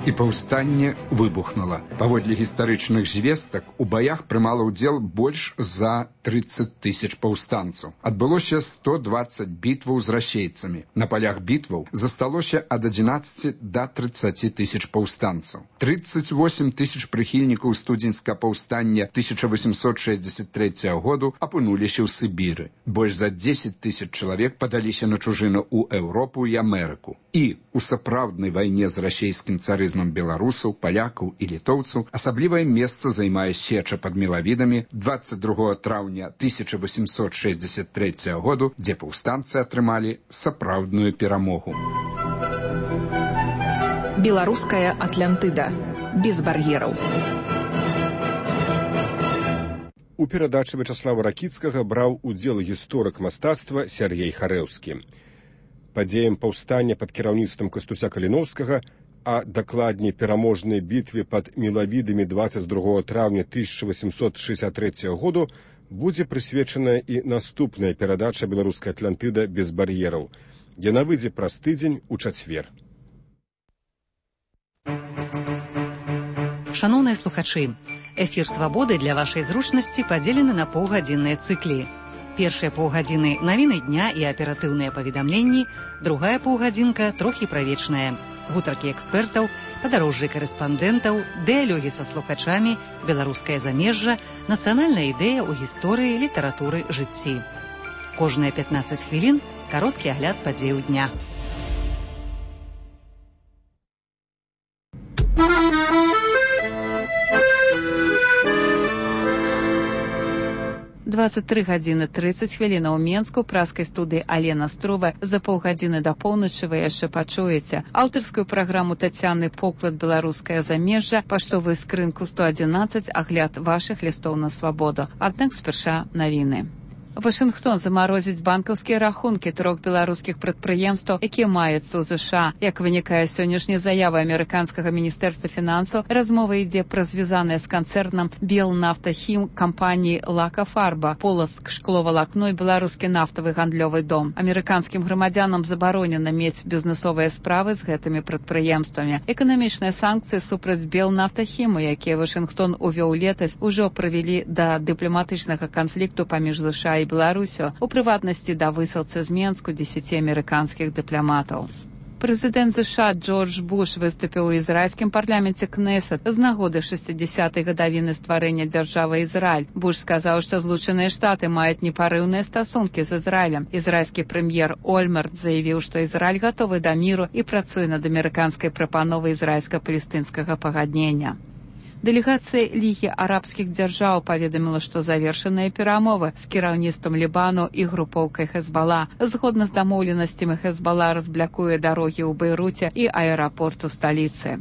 і паўстанне выбухнула. Паводле гістарычных звестак, у баях прымала ўдзел больш за тридцать тысяч паўстанцаў. Адбылося сто двадцать бітваў з расейцамі. На палях бітваў засталося ад адзінаццаці да тридцати тысяч паўстанцаў. тридцать восемь тысяч прыхільнікаў студзеньскага паўстання тысяча восемьсот шестьдесят третьего году апынуліся ў Сібіры. Больш за десять тысяч чалавек падаліся на чужыну ў Еўропу і Амерыку. І у сапраўднай вайне з расейскім царызмам беларусаў, палякаў і літоўцаў асаблівае месца займае сеча пад Мелавідамі двадцать другого траўня тысяча восемьсот шестьдесят третьего году, дзе паўстанцы атрымалі сапраўдную перамогу. Беларуская Атлантыда. Без бар'ераў. У перадачы Вячаслава Ракіцкага браў удзел гісторык мастацтва Сяргей Харэўскі. Падзеям паўстання пад кіраўніцтвам Кастуся Каліноўскага, а дакладней пераможнай бітве пад Мелавідамі двадцать другого траўня тысяча восемьсот шестьдесят третьего году будзе прысвечаная і наступная перадача «Беларуская Атлантыда без бар'ераў». Яна выйдзе праз тыдзень у чацвер. Шановныя слухачы, эфір «Свабоды» для вашай зручнасці падзелены на паўгадзінныя цыклі. Першыя паўгадзіны навіны дня і аператыўныя паведамленні, другая паўгадзінка трохі правечная. Гутаркі экспертаў, падарожжы карэспандэнтаў, дыялогі са слухачамі, беларускае замежжа, нацыянальная ідэя ў гісторыі, літаратуры, жыцці. Кожныя пятнаццаць хвілін кароткі агляд падзеяў дня. двадцать три гадзіны тридцать хвілін у Менску, праскай студыі Алена Струва. За паўгадзіны да поўначы вы яшчэ пачуеце аўтарскую праграму Тацяны Поклад «Беларускае замежжа», паштовую скрынку сто адзінаццаць, агляд вашых лістоў на свабоду. Аднак спярша навіны. Вашынгтон замарозіць банкаўскія рахункі трох беларускіх прадпрыемстваў, якія маюцца ў ЗША. Як вынікае з сённяшняй заявы амерыканскага міністэрства фінансаў, размова ідзе пра звязаныя з канцэрнам «Белнафтахім» кампаніі «Лакафарба», «Полацк», «Шкловалакно» і беларускі нафтавы гандлёвы дом. Амерыканскім грамадзянам забаронена мець бізнесовыя справы з гэтымі прадпрыемствамі. Эканамічныя санкцыі супраць «Белнафтахіму», якія Вашынгтон увёў летась, ужо прывялі да дыпламатычнага канфлікту паміж ЗША і Беларусю, у прыватнасці да высылцы з Менску дзесяці амерыканскіх дыпламатаў. Прэзідэнт ЗША Джордж Буш выступіў у ізраільскім парламенце Кнесет з нагоды шэсцідзясятай гадавіны стварэння дзяржавы Ізраіль. Буш сказаў, што Злучаныя Штаты маюць непарыўныя стасункі з Ізраілем. Ізраільскі прэм'ер Ольмерт заявіў, што Ізраіль гатовы да міру і працуе над амерыканскай прапановай ізраільска-палестынскага пагаднення. Дэлегацыя Лігі арабскіх дзяржаў паведаміла, што завершаныя перамовы з кіраўніцтвам Лібану і групоўкай Хезбала. Згодна з дамоўленасцямі Хезбала разблякуе дарогі ў Бейруце і аэрапорт у сталіцы.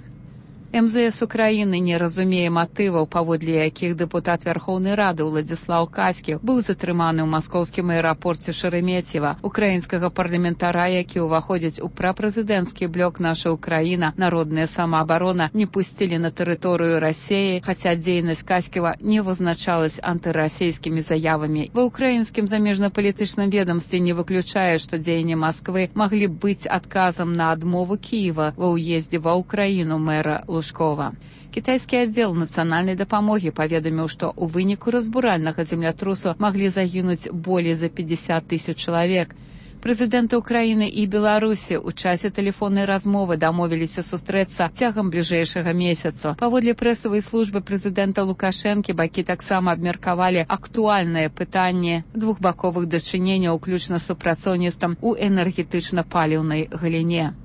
эм зэ эс Украіны не разумее матываў, паводле якіх дэпутат Вярхоўнай Рады Уладзіслаў Каськів быў затрыманы ў маскоўскім аэрапорце Шереметьева. Украінскага парламентара, які ўваходзіць у прапрэзідэнцкі блок «Наша Украіна», народная самаабарона, не пусцілі на тэрыторыю Расіі, хаця дзейнасць Каськіва не вызначалась антырасійскімі заявамі. Ва ўкраінскім замежнапалітычным ведамстве не выключае, што дзеянні Масквы маглі быць адказам на адмову Кіева ва ўездзе ва Ўкраіну мэра Лужкова. Кітайскі аддзел нацыянальнай дапамогі паведаміў, што ў выніку разбуральнага землятрусу маглі загінуць болей за пятьдесят тысяч чалавек. Прэзідэнты Украіны і Беларусі ў часе тэлефоннай размовы дамовіліся сустрэцца цягам бліжэйшага месяцу. Паводле прэсавай службы прэзідэнта Лукашэнкі бакі таксама абмеркавалі актуальнае пытанне двухбаковых дачыненняў, уключна з супрацоўніцтвам у энергетычна-паліўнай галіне.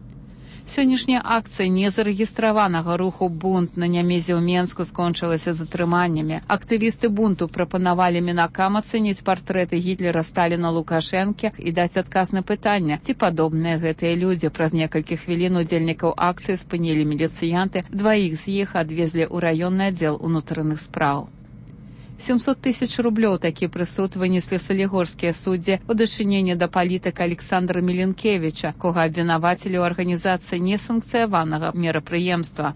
Сённяшняя акцыя незарэгістраванага руху «Бунт» на Нямезе ў Менску скончылася затрыманнямі. Актывісты бунту прапанавалі мінакам ацэніць партрэты Гітлера, Сталіна, Лукашэнкі і даць адказ на пытанне, ці падобныя гэтыя людзі. Праз некалькі хвілін удзельнікаў акцыі спынілі міліцыянты, дваіх з іх адвезлі ў раённы аддзел унутраных спраў. сямьсот тысяч рублёў такі прысуд вынеслі салігорскія суддзі у дачыненні да палітыка Александра Міленкевіча, кога абвінавацілі ў арганізацыі несанкцыяванага мерапрыемства.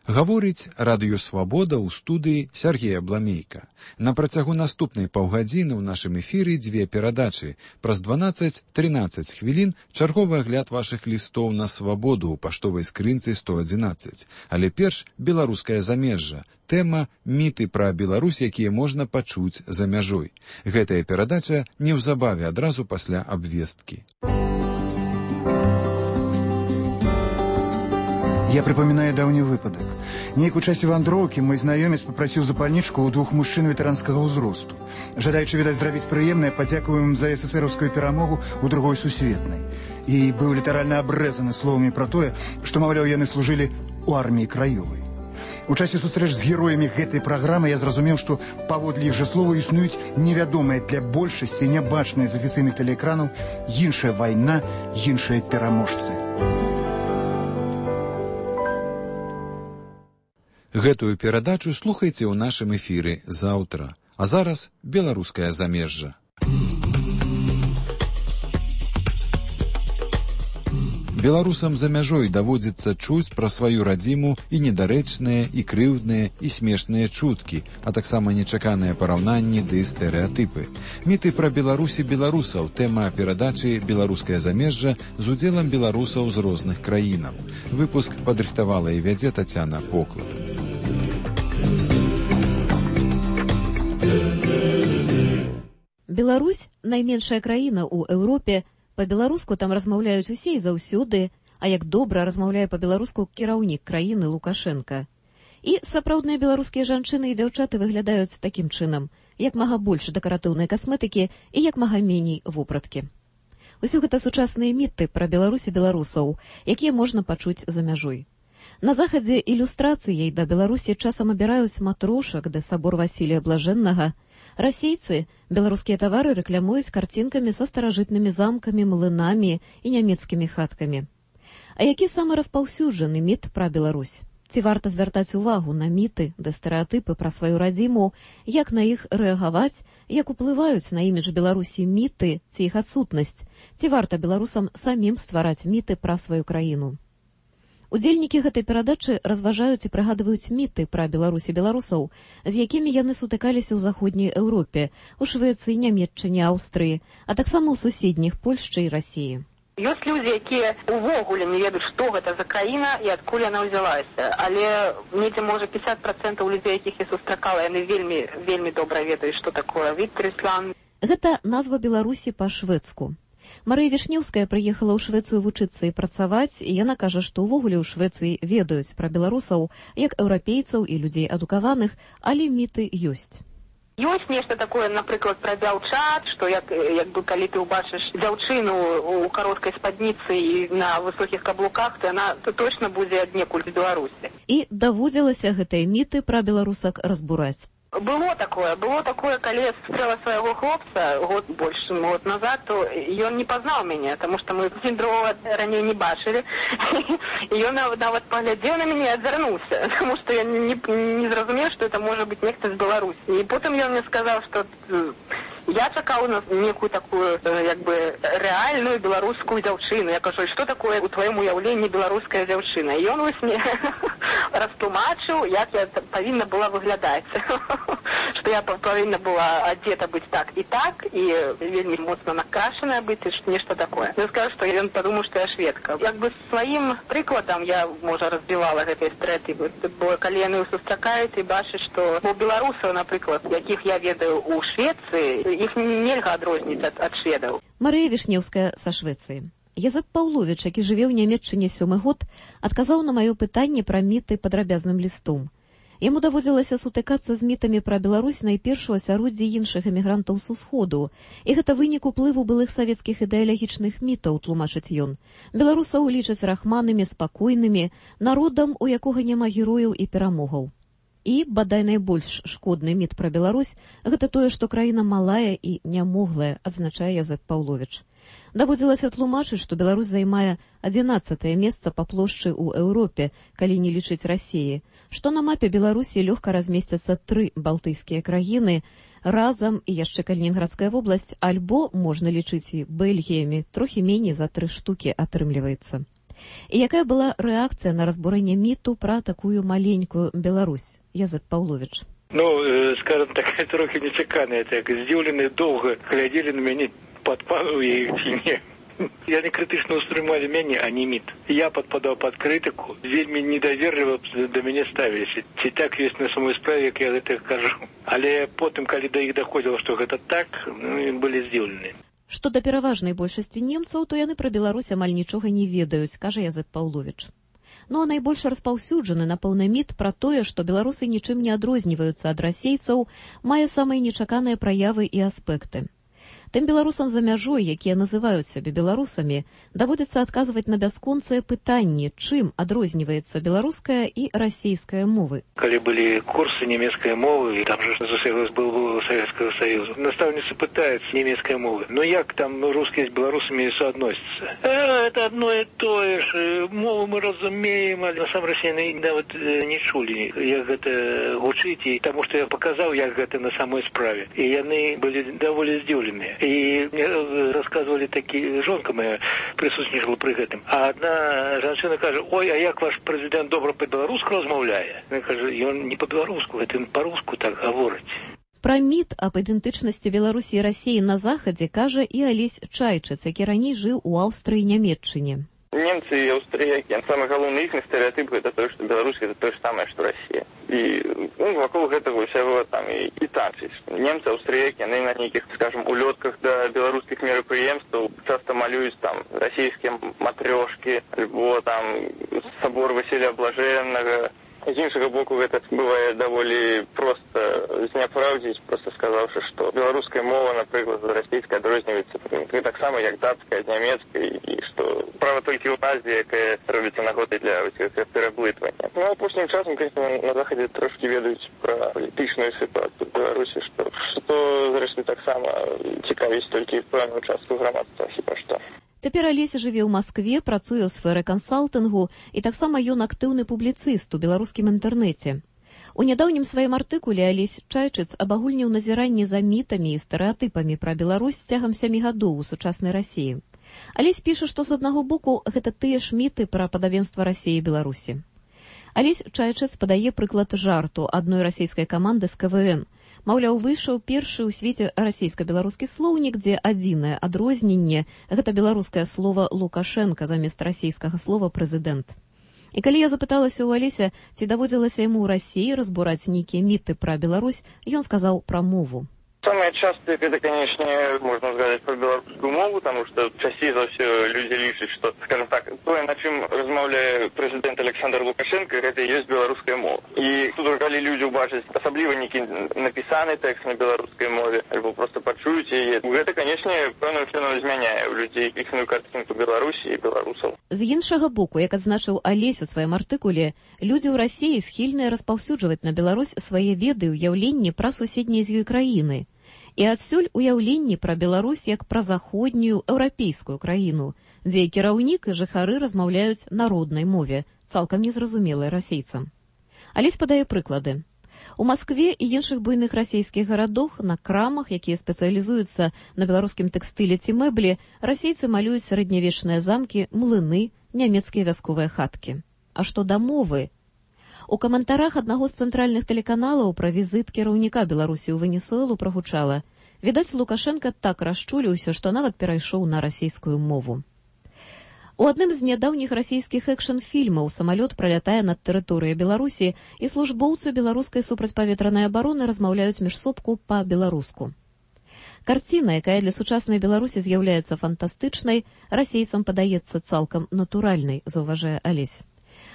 Гаворыць радыёвабода ў студыі Сергея Бламейка. На працягу наступнай паўгадзіны ў нашым эфіры дзве перадачы. Праз дванаццаць-трынаццаць хвілін чарговы агляд вашых лістоў на свабоду ў паштовай скрынцы сто адзінаццаць. Але перш беларускае замежжа. Тэма «Міты пра Беларусь, якія можна пачуць за мяжой». Гэтая перадача неўзабаве адразу пасля абвесткі. Я припоминаю давний выпадок. Нейк у часе вандроўкі мой знаёмец попросіў запальнічку у двух мужчын ветэранскага ўзросту. Жадаючы, відаць, зрабіць прыемнае, падзякуем ім за эсэсэраўскую перамогу ў другой сусветнай. І быў літаральна абрэзаны словамі пра тое, што, маўляў, яны служылі ў арміі краёвай. У часе сустрэч з героямі гэтай праграмы я зразумеў, што паводле іх жа слова існуюць невядомыя для большасці, нябачныя з афіцыйных тэлеэкранаў, іншая вайна, іншыя пераможцы. Гэтую перадачу слухайце ў нашым эфіры заўтра. А зараз беларускае замежжа. Беларусам за мяжой даводзіцца чуць пра сваю радзіму і недарэчныя, і крыўдныя, і смешныя чуткі, а таксама нечаканыя параўнанні ды стэрэатыпы. Міты пра Беларусі беларусаў, тэма перадачы «Беларускае замежжа» з удзелам беларусаў з розных краінаў. Выпуск падрыхтавала і вядзе Тацяна Поклад. Беларусь – найменшая краіна ў Еўропе. Па-беларуску там размаўляюць усе і заўсёды, а як добра размаўляе па-беларуску кіраўнік краіны Лукашенка. І сапраўдныя беларускія жанчыны і дзяўчаты выглядаюць такім чынам, як мага больш дэкаратыўнай касметыкі і як мага меней вопраткі. Усё гэта сучасныя міты пра Беларусь і беларусаў, якія можна пачуць за мяжой. На захадзе ілюстрацыяй да Беларусі часам абіраюць матрошак да сабор Васілія Блажэннага. Расейцы беларускія тавары рэклямуюць карцінкамі са старажытнымі замкамі, млынамі і нямецкімі хаткамі. А які самы распаўсюджаны міт пра Беларусь? Ці варта звяртаць увагу на міты ды стэрэатыпы пра сваю радзіму, як на іх рэагаваць, як уплываюць на імідж Беларусі міты ці іх адсутнасць? Ці варта беларусам самім ствараць міты пра сваю краіну? Удзельнікі гэтай перадачы разважаюць і прыгадваюць міты пра Беларусь і беларусаў, з якімі яны сутыкаліся ў заходняй Еўропе, у Швецыі, Нямецчыне, Аўстрыі, а таксама ў суседніх Польшчы і Расіі. Ёсць людзі, якія ўвогуле не ведаюць, што гэта за краіна і адкуль яна ўзялася. Але недзе, можа, пятьдесят процентов людзей, якіх я сустракала, яны вельмі, вельмі добра ведаюць, што такое Віттрысланд. Гэта назва Беларусі па-шведску. Марыя Вішнеўская прыехала ў Швецыю вучыцца і працаваць, і яна кажа, што ўвогуле ў Швецыі ведаюць пра беларусаў як еўрапейцаў і людзей адукаваных, але міты ёсць. Ёсць нешта такое, напрыклад, пра дзяўчат, што як, як бы калі ты ўбачыш дзяўчыну ў кароткай спадніцы і на высокіх каблуках, то яна то точно будзе аднекуль з Беларусі. І даводзілася гэтыя міты пра беларусак разбураць. Было такое, было такое, калі я сустрэла свайго хлопца год больш год назад, то ён не пазнаў мяне, таму што мы сіндрова раней не бачылі. І ён нават паглядзеў на мяне і адвярнуўся, таму што я не, не зразумеў, што это можа быць нехта з Беларусі. І потым ён мне сказаў, што я чакаў на некую такую, як бы, рэальную беларускую дзяўчыну. Я кажу, што такое у тваім уяўленні беларуская дзяўчына? І ён вось мне растлумачыў, як я павінна была выглядаць. Што я павінна была адзета быць так і так, і вельмі моцна накрашаная быць, і нешта такое. Я скажу, што ён падумаў, што я шведка. Як бы сваім прыкладам я, можа, разбівала гэтыя стэрэатыпы. Бо калі яны сустракаюць і бачаць, што у беларусаў, напрыклад, якіх я ведаю ў Швецыі, іх нельга адрозніць ад, ад шведаў. Марыя Вішнеўская са Швецыі. Язэп Паўловіч, які жыве ў Нямецчыне сёмы год, адказаў на маё пытанне пра міты падрабязным лістом. Яму даводзілася сутыкацца з мітамі пра Беларусь найперш у асяроддзі іншых эмігрантаў з усходу. І гэта вынік уплыву былых савецкіх ідэалагічных мітаў, тлумачыць ён. Беларусаў лічаць рахманымі, спакойнымі, народам, у якога няма герояў і перамогаў. І, бадай, найбольш шкодны міт пра Беларусь – гэта тое, што краіна малая і нямоглая, адзначае Язэп Паўловіч. Даводзілася тлумачыць, што Беларусь займае адзінаццатае месца па плошчы ў Еўропе, калі не лічыць Расіі, што на мапе Беларусі лёгка размесцяцца тры балтыйскія краіны, разам і яшчэ Калінінградская вобласць, альбо можна лічыць і Бельгіямі, трохі меней за тры штукі атрымліваецца. І якая была рэакцыя на разбурэнне міту пра такую маленькую Беларусь? Язэп Паўловіч. Ну, скажем так, трохи нечаканыя, так, здзіўленыя доўга глядзелі на мяне, падпадаў я іх ці не. Яны крытычна ўспрымалі мяне, а не міт. Я падпадаў пад крытыку, вельмі недаверліва да мяне ставіліся. Ці так ёсць на самой справе, як я гэта кажу. Але потым, калі да іх даходзіла, што гэта так, ну, былі здзіўлены. Што да пераважнай большасці немцаў, то яны пра Беларусь амаль нічога не ведаюць, кажа Язэп Паўловіч. Ну а найбольш распаўсюджаны, напэўна, міт пра тое, што беларусы нічым не адрозніваюцца ад расейцаў, мае самыя нечаканыя праявы і аспекты. Тым беларусам за мяжой, якія называюць сябе беларусамі, даводзіцца адказваць на бясконцыя пытанні, чым адрозніваецца беларуская і расійская мовы. Калі былі курсы нямецкай мовы, там же засеялось был Советского Союза, наставница пытается немецкой мовы. Но як там русские с белорусами соотносятся? А, это одно и то же. Мову мы разумеем, а на самом России нават не чули, як гэта гучыць, потому что я показал, як гэта на самой справе. И яны были довольно здзіўленыя. И мне рассказывали такие, жонка моя присутствовала при этом. А одна женщина кажет: ой, а як ваш президент добро по-белорусски размовляє? Я кажу, и он не по-белоруску, это он по-русски так говорит. Пра міт аб ідэнтычнасці Беларусі і Расіі на захадзе кажа і Алесь Чайчыц, які раней жыў у Аўстрыі і Нямецчыне. Немцы и австрияки, самый главный их стереотип это то, что Беларусь это то же самое, что Россия. И ну, вокруг этого всего там и, и танцы. Немцы, австрияки, они на неких, скажем, улетках до белорусских мероприемств часто малюют там российские матрешки, либо там собор Василия Блаженного. З іншага боку, гэта бывае даволі проста зняпраўдзіць, проста сказаўшы, што беларуская мова, напрыклад, расійская адрозніваецца таксама як датская ад нямецкай, і што справа толькі ў Азіі, якая робіцца нагодай для пераблытвання. Ну, апошнім часам, конечно, на захадзе трошкі ведаюць пра палітычную сітуацыю в Беларусі, што, што зрэшты, таксама цікавіць толькі пэўную частку грамадства, хіба што. Цяпер Алеся жыве ў Маскве, працуе ў сферы кансалтынгу і таксама ён актыўны публіцыст у беларускім інтэрнэце. У нядаўнім сваім артыкуле Алесь Чайчыц абагульніў назіранні за мітамі і стэрэатыпамі пра Беларусь цягам сямі гадоў у сучаснай Расіі. Алесь піша, што з аднаго боку гэта тыя ж міты пра падабенства Расіі і Беларусі. Алесь Чайчыц падае прыклад жарту адной расійскай каманды з ка вэ эн. Маўляў, выйшаў першы ў свеце расійска-беларускі слоўнік, дзе адзінае адрозненне – гэта беларускае слова «Лукашенка» замест расійскага слова «прэзідэнт». І калі я запыталася ў Алеся, ці даводзілася яму ў Расіі разбураць нейкія міты пра Беларусь, ён сказаў пра мову. Самое частое, это, конечно, можно сказать про белорусскую мову, потому что чаще за все люди лишат, что, скажем так, то, на чем размовляет президент Александр Лукашенко, это и есть белорусская мова. И тут, когда люди убачат, особливо некий написанный текст на белорусской мове, либо просто почуют ее, это, конечно, певным чином изменяет у людей ихную картинку Беларуси и белорусов. З іншага боку, як адзначыў Алесь у сваім артыкуле, людзі ў Расіі схільныя распаўсюджваць на Беларусь свае веды і ўяўленні пра суседнія з ёй краіны. І адсюль уяўленні пра Беларусь як пра заходнюю еўрапейскую краіну, дзе кіраўнік і жыхары размаўляюць на роднай мове, цалкам незразумелай расейцам. Алесь падае прыклады. У Маскве і іншых буйных расійскіх гарадах на крамах, якія спецыялізуюцца на беларускім тэкстыле ці мэблі, расейцы малююць сярэднявечныя замкі, млыны, нямецкія вясковыя хаткі. А што да мовы? У каментарах аднаго з цэнтральных тэлеканалаў пра візіт кіраўніка Беларусі ў Венесуэлу прагучала: відаць, Лукашенка так расчуліўся, што нават перайшоў на расійскую мову. У адным з нядаўніх расійскіх экшн-фільмаў самалёт пралятае над тэрыторыяй Беларусі, і службоўцы беларускай супрацьпаветранай абароны размаўляюць між собку па-беларуску. Карціна, якая для сучаснай Беларусі з'яўляецца фантастычнай, расейцам падаецца цалкам натуральнай, заўважае Алесь.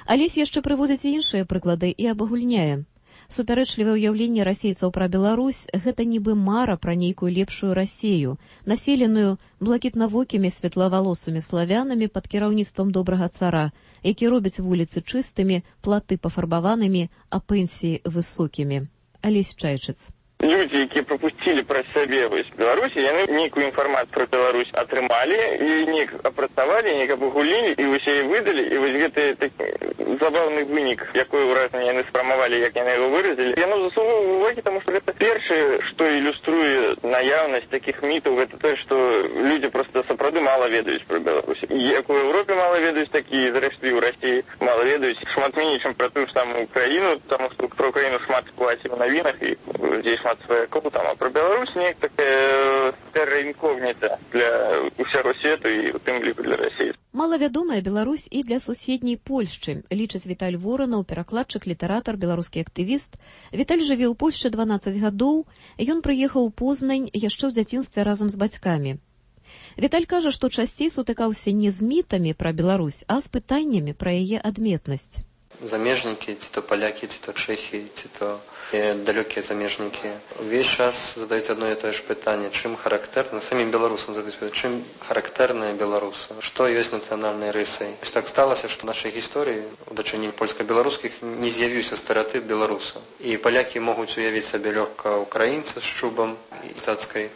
Алесь яшчэ прыводзіць іншыя прыклады і абагульняе. Супярэчлівае ўяўленне расейцаў пра Беларусь – гэта нібы мара пра нейкую лепшую Расею, населеную блакітнавокімі светлавалосымі славянамі пад кіраўніцтвам добрага цара, які робіць вуліцы чыстымі, платы пафарбаванымі, а пенсіі высокімі. Алесь Чайчыц. Люди, якія прапусцілі праз сябе вось Беларусі, яны нейкую інфармацыю пра Беларусь атрымалі і неяк апрацавалі, неяк абагулілі і вось яе выдалі, і вось гэты такі забаўны вынік, якое ўражанне яны спрамавалі, як яны яго выразілі. Яно заслугоўвае увагі, таму што гэта першае, што ілюструе наяўнасць такіх мітаў, гэта тое, што людзі проста сапраўды мала ведаюць пра Беларусь. Як у Еўропе мала ведаюць, так і зрэшты ў Расіі мала ведаюць. Шмат меней, чым пра тую ж самую Украіну, таму што пра Украіну шмат склаці ў навінах і здесь шмат сваякоў там, а пра Беларусь неяк такая терра інкогніта для ўсяго свету і ў тым ліку для Расіі. Малавядомая Беларусь і для суседняй Польшчы, лічыць Віталь Воранаў, перакладчык, літаратар, беларускі актывіст. Віталь жыве ў Польшчы дванаццаць гадоў, ён прыехаў у Познань яшчэ ў дзяцінстве разам з бацькамі. Віталь кажа, што часцей сутыкаўся не з мітамі пра Беларусь, а з пытаннямі пра яе адметнасць. Замежнікі, ці то палякі, ці то чэхі, ці то далёкія замежнікі. Увесь час задаюць одно і тое ж пытанне, чым характэрна, самім беларусам задаюць пытанне, чым характэрныя беларусы, што ёсць нацыянальнай рысай. Так сталася, што ў нашай гісторыі у дачыненні польска-беларускіх не з'явіўся стэрэатып беларуса. І палякі могуць уявіць сабе лёгка украінца з чубам і цацкай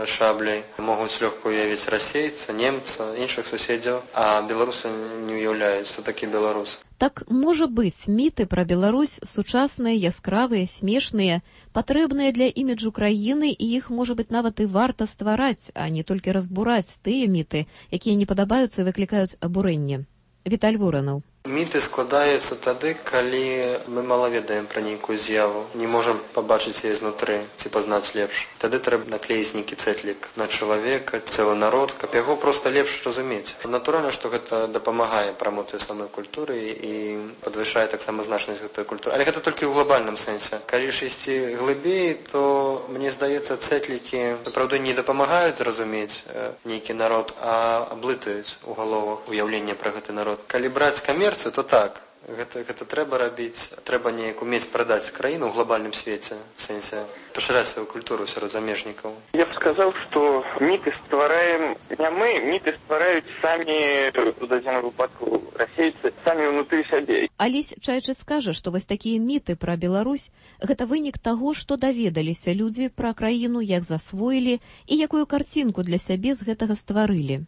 шабляй, могуць лёгка уявіць расейца, немца, іншых суседзяў, а беларусы не уяўляюць, што такі беларус. Так, можа быць, міты пра Беларусь сучасныя, яскравыя, смешныя, патрэбныя для іміджу краіны, і іх, можа быць, нават і варта ствараць, а не толькі разбураць тыя міты, якія не падабаюцца і выклікаюць абурэнне. Віталь Воранаў. Міты складаюцца тады, калі мы мала ведаем пра нейкую з'яву, не можам пабачыць яе знутры ці пазнаць лепш. Тады трэба наклеіць нейкі цэтлік на чалавека, цэлы народ, каб яго проста лепш разумець. Натуральна, што гэта дапамагае прамоцыі самой культуры і падвышае таксама значнасць гэтай культуры. Але гэта толькі ў глобальным сэнсе. Калі ж ісці глыбей, то мне здаецца, цэтлікі сапраўды не дапамагаюць зразумець нейкі народ, а аблытаюць у галовах уяўленне пра гэты народ. Калі браць камер то так, гэта, гэта трэба рабіць, трэба неяк умець прадаць краіну ў глобальным свеце, в сэнсе пашыраць сваю культуру сярод замежнікаў. Я б сказаў, што міты ствараем не мы, міты ствараюць самі, у дадзеным выпадку, расейцы, самі ўнутры сябе. Алесь Чайчыц скажа, што вось такія міты пра Беларусь – гэта вынік таго, што даведаліся людзі пра краіну, як засвоілі і якую карцінку для сябе з гэтага стварылі.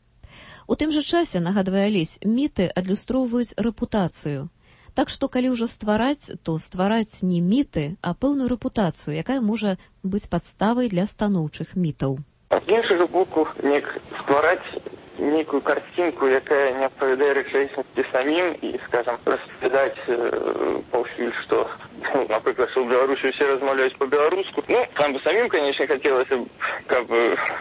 У тым жа часе, нагадвае Алесь, міты адлюстроўваюць рэпутацыю. Так што, калі ўжо ствараць, то ствараць не міты, а пэўную рэпутацыю, якая можа быць падставай для станоўчых мітаў. З іншага боку, неяк ствараць нейкую карцінку, якая не адпавядае рэчаіснасці самім і, скажам, распавядаць э, паўсюль, што, ну, напрыклад, што ў Беларусі ўсе размаўляюць па-беларуску. Ну, там бы самім, канечне, хацелася, каб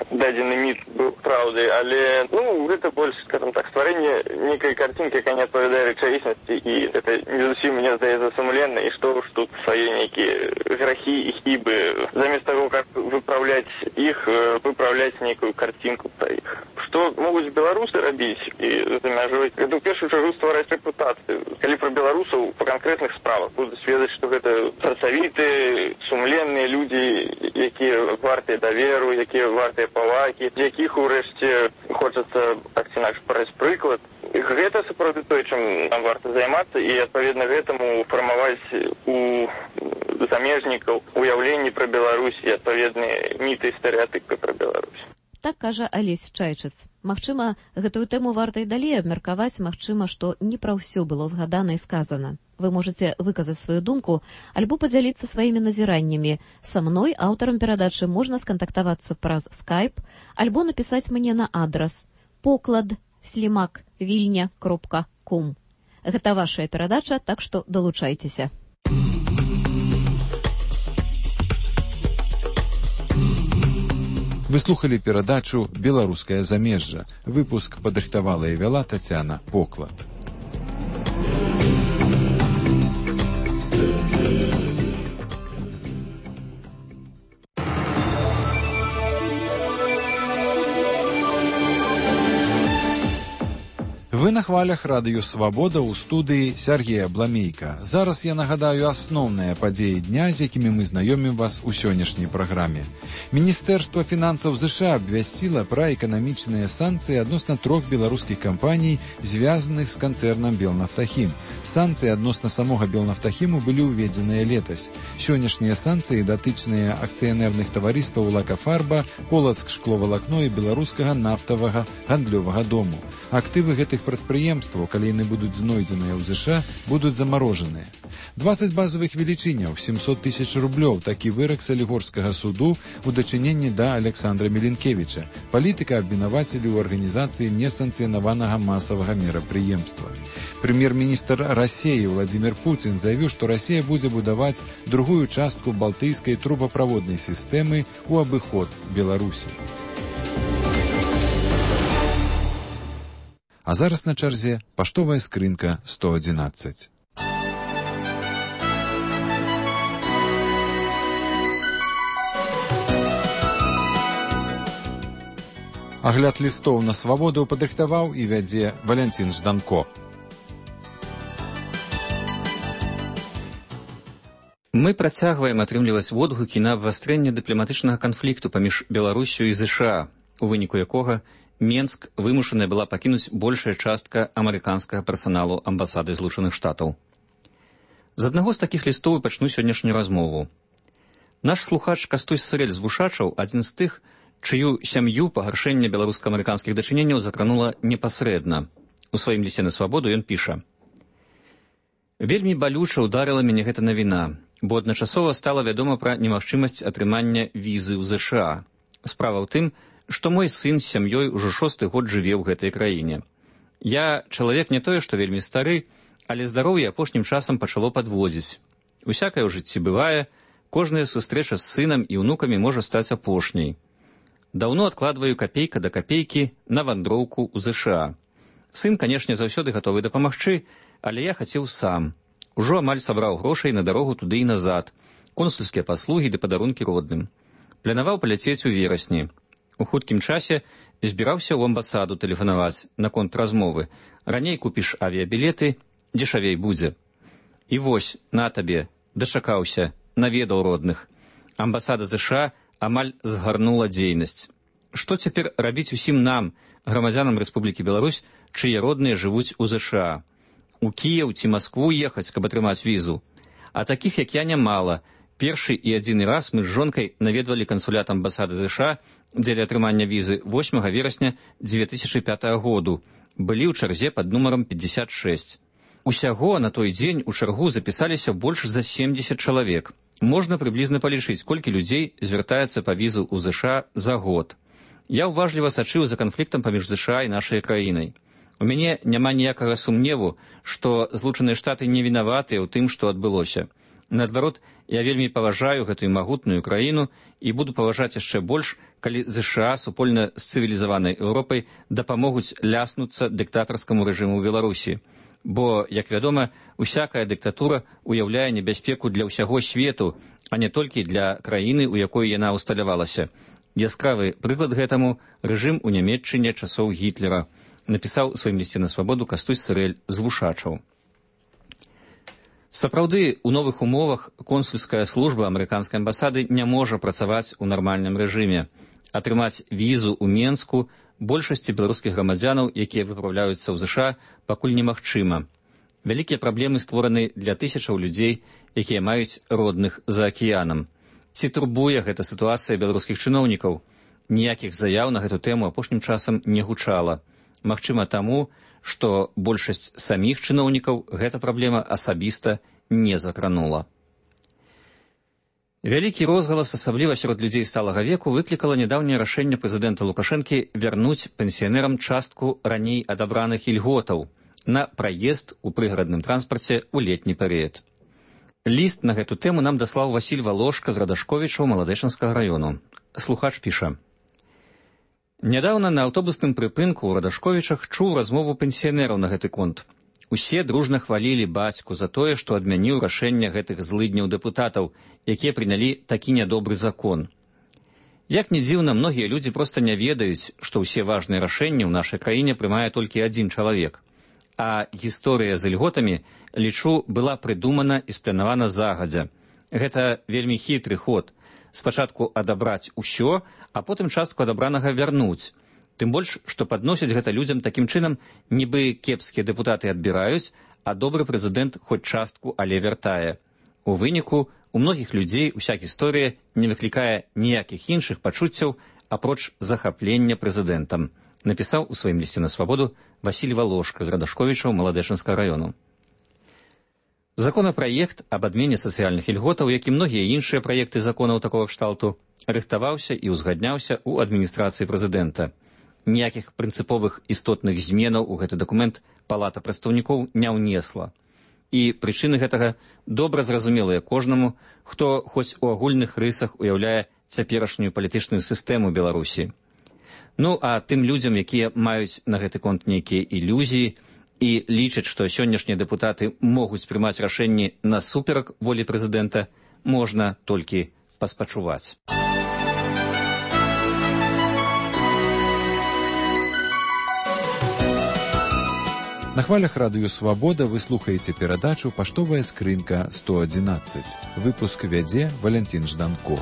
дадзены міт быў праўдай, але, ну, гэта больш, скажам так, стварэнне нейкай карцінкі, якая не адпавядае рэчаіснасці, і гэта не зусім, мне здаецца, сумленна, і што ж тут свае нейкія грахі і хібы. Замест таго, каб выпраўляць іх, выпраўляць нейкую карцінку пра іх. Што могуць беларусы рабіць і за мяжой, гэта ў першую чаргу ствараць рэпутацыю. Калі пра беларусаў па канкрэтных справах будуць ведаць, што гэта працавітыя, сумленныя людзі, якія вартыя даверу, якія вартыя павагі, якіх урэшце хочацца так ці інакш браць прыклад. Гэта сапраўды тое, чым нам варта займацца, і адпаведна гэтаму фармаваць у замежнікаў уяўленні пра Беларусь і адпаведныя міты і стэрэатыпы пра Беларусь. Так кажа Алесь Чайчыц. Магчыма, гэтую тэму варта і далей абмеркаваць, магчыма, што не пра ўсё было згадана і сказана. Вы можаце выказаць сваю думку альбо падзяліцца сваімі назіраннямі. Са мной, аўтарам перадачы, можна скантактавацца праз скайп, альбо напісаць мне на адрас поклад слімак вільня кропка ком. Гэта вашая перадача, так што далучайцеся. Вы слухали перадачу «Беларускае замежжа». Выпуск падрыхтавала і вяла Тацяна Поклад. Вы на хвалях радыё «Свабода» ў студыі Сергея Бламейка. Зараз я нагадаю асноўныя падзеі дня, з якімі мы знаёмім вас у сённяшняй праграме. Міністэрства фінансаў ЗША абвясціла пра эканамічныя санкцыі адносна трох беларускіх кампаній, звязаных з канцэрнам «Белнафтахім». Санкцыі адносна самога «Белнафтахіму» былі ўведзеныя летась. Сённяшнія санкцыі датычныя акцыянерных таварыстаў «Лакафарба», «Полацк шкловалакно» і беларускага нафтавага гандлёвага дому. Актывы гэтых прадпрыемстваў, калі яны будуць знойдзеныя ў ЗША, будуць замарожаныя. дваццаць базавых велічыняў, сямсот тысяч рублёў, такі вырак салігорскага суду у дачыненні да Александра Меленкевіча. Палітыка абвінавацілі ў арганізацыі несанкцыянаванага масавага мерапрыемства. Прэм'ер-міністр Расіі Владзімір Пуцін заявіў, што Расія будзе будаваць другую частку балтыйскай трубаправоднай сістэмы ў абыход Беларусі. А зараз на чарзе паштовая скрынка сто адзінаццаць. Агляд лістоў на свабоду падрыхтаваў і вядзе Валянцін Жданко. Мы працягваем атрымліваць водгукі на абвастрэнне дыпламатычнага канфлікту паміж Беларусю і ЗША, у выніку якога Менск вымушаная была пакінуць большая частка амерыканскага персаналу амбасады Злучаных Штатаў. З аднаго з такіх лістоў пачну сённяшнюю размову. Наш слухач Кастусь Сырэль з Вушачаў адзін з тых, чыю сям'ю пагаршэнне беларуска-амерыканскіх дачыненняў закранула непасрэдна. У сваім лісце на свабоду ён піша: «Вельмі балюча ўдарыла мяне гэта навіна, бо адначасова стала вядома пра немагчымасць атрымання візы ў ЗША. Справа ў тым, што мой сын з сям'ёй ужо шосты год жыве ў гэтай краіне. Я чалавек не тое, што вельмі стары, але здароўе апошнім часам пачало падводзіць. Усякае ў жыцці бывае, кожная сустрэча з сынам і ўнукамі можа стаць апошняй. Даўно адкладваю капейка да капейкі на вандроўку ў ЗША. Сын, канешне, заўсёды гатовы дапамагчы, але я хацеў сам. Ужо амаль сабраў грошай на дарогу туды і назад, консульскія паслугі ды падарункі родным. Планаваў паляцець у верасні. У хуткім часе збіраўся ў амбасаду тэлефанаваць наконт размовы. Раней купіш авіябілеты, дзешавей будзе. І вось, на табе, дачакаўся, наведаў родных. Амбасада ЗША амаль згарнула дзейнасць. Што цяпер рабіць усім нам, грамадзянам Рэспублікі Беларусь, чые родныя жывуць у ЗША? У Кіеў ці Маскву ехаць, каб атрымаць візу? А такіх, як я, нямала. Першы і адзіны раз мы з жонкай наведвалі кансулят амбасады ЗША дзеля атрымання візы восьмага верасня дзве тысячы пятага году. Былі ў чарзе пад нумарам пятьдесят шесть. Усяго на той дзень у чаргу запісаліся больш за семьдесят чалавек. Можна прыблізна палічыць, колькі людзей звяртаецца па візу ў ЗША за год. Я ўважліва сачыў за канфліктам паміж ЗША і нашай краінай. У мяне няма ніякага сумневу, што Злучаныя Штаты не вінаватыя ў тым, што адбылося. Наадварот, я вельмі паважаю гэтую магутную краіну і буду паважаць яшчэ больш, калі ЗША супольна з цывілізаванай Еўропай дапамогуць ляснуцца дыктатарскаму рэжыму ў Беларусі. Бо, як вядома, усякая дыктатура уяўляе небяспеку для ўсяго свету, а не толькі для краіны, у якой яна усталявалася. Яскравы прыклад гэтаму рэжым у Нямецчыне часоў Гітлера, напісаў у сваім лісце на свабоду Кастусь Сырэль з Вушачаў. Сапраўды, у новых умовах консульская служба амерыканскай амбасады не можа працаваць у нармальным рэжыме. Атрымаць візу ў Менску большасці беларускіх грамадзянаў, якія выпраўляюцца ў ЗША, пакуль немагчыма. Вялікія праблемы створаны для тысячаў людзей, якія маюць родных за акіянам. Ці турбуе гэта сітуацыя беларускіх чыноўнікаў? Ніякіх заяў на гэту тэму апошнім часам не гучала. Магчыма таму, што большасць саміх чыноўнікаў гэта праблема асабіста не закранула. Вялікі розгалас, асабліва сярод людзей сталага веку, выклікала нядаўняе рашэнне прэзідэнта Лукашэнкі вярнуць пенсіянерам частку раней адабраных ільготаў на праезд у прыгарадным транспарце ў летні перыяд. Ліст на гэту тэму нам даслаў Васіль Валошка з Радашковічаў Маладэчанскага раёну. Слухач піша: «Нядаўна на аўтобусным прыпынку ў Радашковічах чуў размову пенсіянераў на гэты конт. Усе дружна хвалілі бацьку за тое, што адмяніў рашэнне гэтых злыдняў дэпутатаў, якія прынялі такі нядобры закон. Як не дзіўна, многія людзі проста не ведаюць, што ўсе важныя рашэнні ў нашай краіне прымае толькі адзін чалавек. А гісторыя з ільготамі, лічу, была прыдумана і спланавана загадзя. Гэта вельмі хітры ход. Спачатку адабраць усё, а потым частку адабранага вярнуць. Тым больш, што падносяць гэта людзям такім чынам, нібы кепскія дэпутаты адбіраюць, а добры прэзідэнт хоць частку, але вяртае. У выніку, у многіх людзей уся гісторыя не выклікае ніякіх іншых пачуццяў, апроч захаплення прэзідэнтам, напісаў у сваім лісце на свабоду Васіль Валошка з Радашковічаў Маладэчынскага раёну. Законапраект аб адмене сацыяльных ільготаў, як і многія іншыя праекты законаў такога кшталту, рыхтаваўся і ўзгадняўся ў адміністрацыі прэзідэнта. Ніякіх прынцыповых істотных зменаў у гэты дакумент палата прадстаўнікоў не ўнесла. І прычыны гэтага добра зразумелыя кожнаму, хто хоць у агульных рысах уяўляе цяперашнюю палітычную сістэму Беларусі. Ну, а тым людзям, якія маюць на гэты конт нейкія ілюзіі і лічаць, што сённяшнія дэпутаты могуць прымаць рашэнні насуперак волі прэзідэнта, можна толькі паспачуваць. На хвалях радыё «Свабода» вы слухаеце перадачу «Паштовая скрынка сто адзінаццаць». Выпуск вядзе Валянцін Жданко.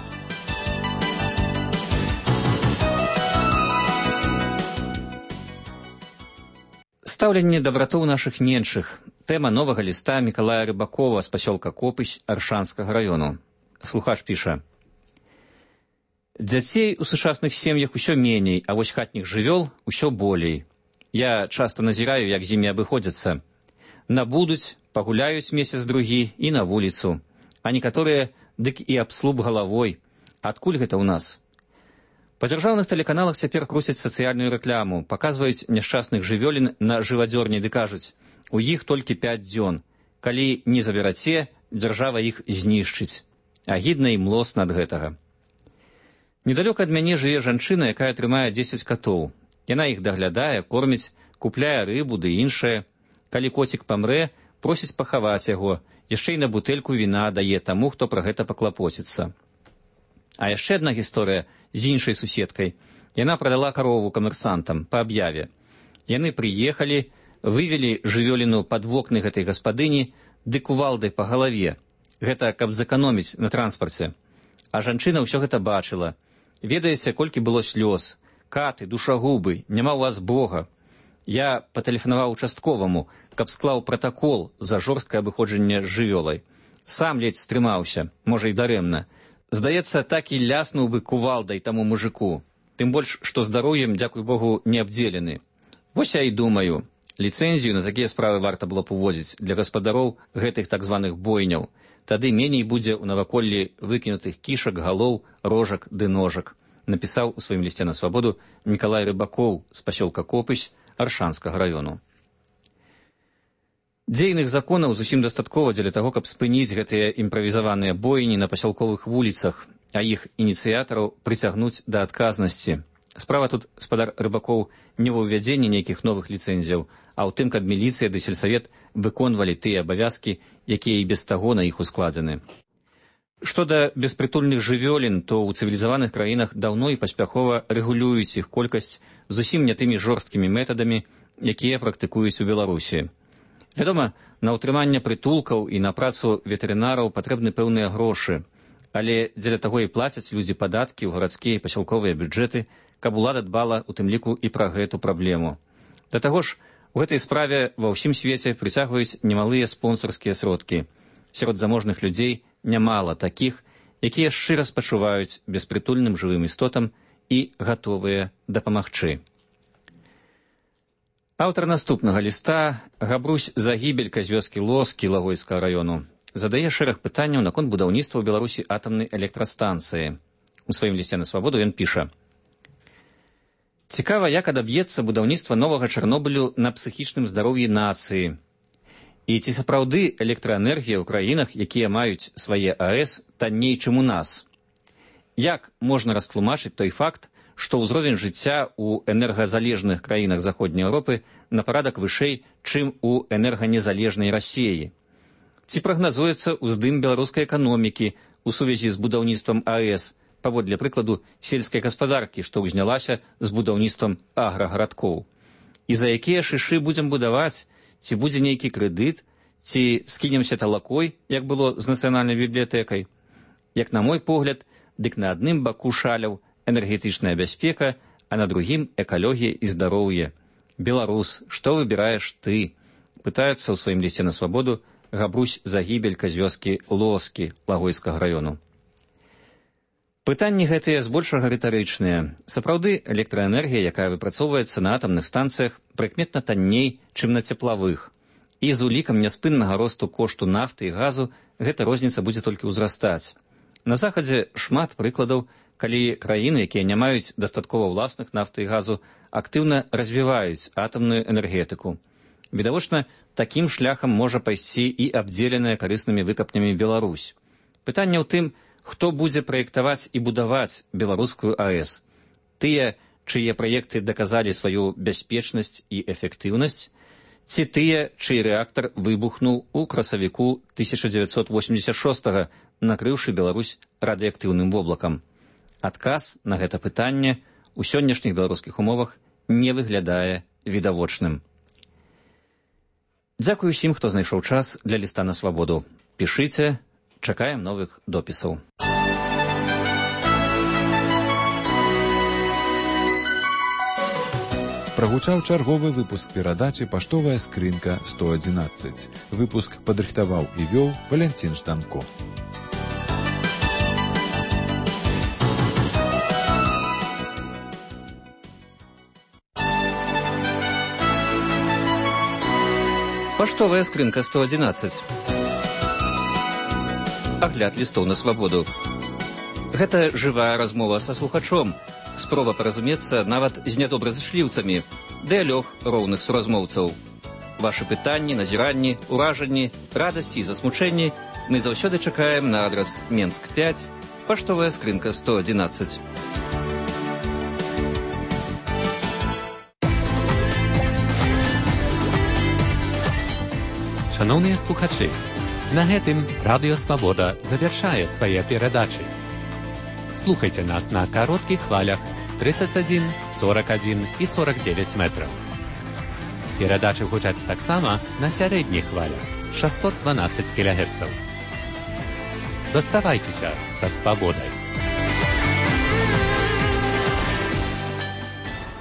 Стаўленне дабратоў нашых меншых. Тэма новага ліста Мікалая Рыбакова з пасёлка Копысь Аршанскага раёну. Слухач піша: «Дзяцей у сучасных сем'ях усё меней, а вось хатніх жывёл усё болей. Я часта назіраю, як з імі абыходзяцца. Набудуць, пагуляюць месяц-другі і на вуліцу. А некаторыя дык і аб слуп галавой. Адкуль гэта ў нас? Па дзяржаўных тэлеканалах цяпер круцяць сацыяльную рэкламу, паказваюць няшчасных жывёлін на жывадзёрні ды кажуць: у іх толькі пяць дзён. Калі не забераце, дзяржава іх знішчыць. Агідна і млосна ад гэтага. Недалёка ад мяне жыве жанчына, якая трымае дзесяць катоў. Яна іх даглядае, корміць, купляе рыбу ды іншае. Калі коцік памрэ, просіць пахаваць яго, яшчэ і на бутэльку віна дае таму, хто пра гэта паклапоціцца. А яшчэ адна гісторыя з іншай суседкай. Яна прадала карову камерсантам па аб'яве. Яны прыехалі, вывелі жывёліну пад вокны гэтай гаспадыні ды кувалдай па галаве. Гэта каб зэканоміць на транспарце. А жанчына ўсё гэта бачыла. Ведаеце, колькі было слёз. Каты, душагубы, няма ў вас Бога. Я патэлефанаваў участковаму, каб склаў пратакол за жорсткае абыходжанне з жывёлай. Сам ледзь стрымаўся, можа і дарэмна. Здаецца, так і ляснуў бы кувалдай таму мужику. Тым больш, што здароўем, дзякуй Богу, не абдзелены. Вось я і думаю, ліцэнзію на такія справы варта было б уводзіць для гаспадароў гэтых так званых бойняў. Тады меней будзе ў наваколлі выкінутых кішак, галоў, рожак ды ножак, напісаў у сваім лісце на свабоду Мікалай Рыбакоў з пасёлка Копысь Аршанскага раёну. Дзейных законаў зусім дастаткова дзеля таго, каб спыніць гэтыя імправізаваныя бойні на пасялковых вуліцах, а іх ініцыятараў прыцягнуць да адказнасці. Справа тут, спадар Рыбакоў, не ва ўвядзенні нейкіх новых ліцэнзіяў, а ў тым, каб міліцыя ды сельсавет выконвалі тыя абавязкі, якія і без таго на іх ускладзены. Што да беспрытульных жывёлін, то ў цывілізаваных краінах даўно і паспяхова рэгулююць іх колькасць зусім не тымі жорсткімі метадамі, якія практыкуюць у Беларусі. Вядома, на ўтрыманне прытулкаў і на працу ветэрынараў патрэбны пэўныя грошы, але дзеля таго і плацяць людзі падаткі ў гарадскія і пасялковыя бюджэты, каб улада дбала у тым ліку і пра гэту праблему. Да таго ж, у гэтай справе ва ўсім свеце прыцягваюць немалыя спонсарскія сродкі. Сярод заможных людзей нямала такіх, якія шчыра спачуваюць беспрытульным жывым істотам і гатовыя дапамагчы. Аўтар наступнага ліста, Габрусь Загібелька з вёскі Лоскі Лагойскага раёну, задае шэраг пытанняў наконт будаўніцтва ў Беларусі атамнай электрастанцыі. У сваім лісце на свабоду ён піша: «Цікава, як адаб'ецца будаўніцтва новага Чарнобылю на псіхічным здароўі нацыі. І ці сапраўды электраэнергія ў краінах, якія маюць свае АЭС, танней, чым у нас? Як можна растлумачыць той факт, што ўзровень жыцця ў энергазалежных краінах Заходняй Еўропы на парадак вышэй, чым у энерганезалежнай Расіі? Ці прагназуецца ўздым беларускай эканомікі ў сувязі з будаўніцтвам АЭС, паводле прыкладу сельскай гаспадаркі, што ўзнялася з будаўніцтвам аграгарадкоў? І за якія шышы будзем будаваць? ці будзе нейкі крэдыт, ці скінемся талакой, як было з нацыянальнай бібліятэкай. Як на мой погляд, дык на адным баку шаляў энергетычная бяспека, а на другім экалогія і здароўе. Беларус, што выбіраеш ты? Пытаецца ў сваім лісце на свабоду Габрусь Загібелька з вёскі Лоскі Лагойскага раёну. Пытанні гэтыя збольшага рытарычныя. Сапраўды, электраэнергія, якая выпрацоўваецца на атамных станцыях, прыкметна танней, чым на цеплавых. І з улікам няспыннага росту кошту нафты і газу гэта розніца будзе толькі ўзрастаць. На захадзе шмат прыкладаў, калі краіны, якія не маюць дастаткова ўласных нафты і газу, актыўна развіваюць атамную энергетыку. Відавочна, такім шляхам можа пайсці і абдзеленая карыснымі выкапнямі Беларусь. Пытанне ў тым, хто будзе праектаваць і будаваць беларускую АЭС. Тыя, чые праекты даказалі сваю бяспечнасць і эфектыўнасць, ці тыя, чый рэактар выбухнуў у красавіку тысяча дзевяцьсот восемьдесят шостага, накрыўшы Беларусь радыеактыўным воблакам. Адказ на гэта пытанне ў сённяшніх беларускіх умовах не выглядае відавочным. Дзякую усім, хто знайшоў час для ліста на свабоду. Пішыце, чакаем новых допісаў. Прагучаў чарговы выпуск перадачы «Паштовая скрынка сто адзінаццаць». Выпуск падрыхтаваў і вёў Валянцін Штанко. Паштовая скрынка сто адзінаццаць. Агляд лістоў на свабоду. Гэта жывая размова са слухачом, спроба паразумецца нават з нядобразышліўцамі, дыялог роўных суразмоўцаў. Вашы пытанні, назіранні, уражанні, радасці і засмучэнні мы заўсёды чакаем на адрас Менск пяць, паштовая скрынка сто адзінаццаць. Шановныя слухачы, на гэтым Радыё Свабода завяршае свае перадачы. Слухайце нас на кароткіх хвалях тридцать один, сорок один і сорок девять метраў. Перадачы гучаць таксама на сярэдніх хвалях шестьсот двенадцать кілогерцаў. Заставайцеся са свабодай.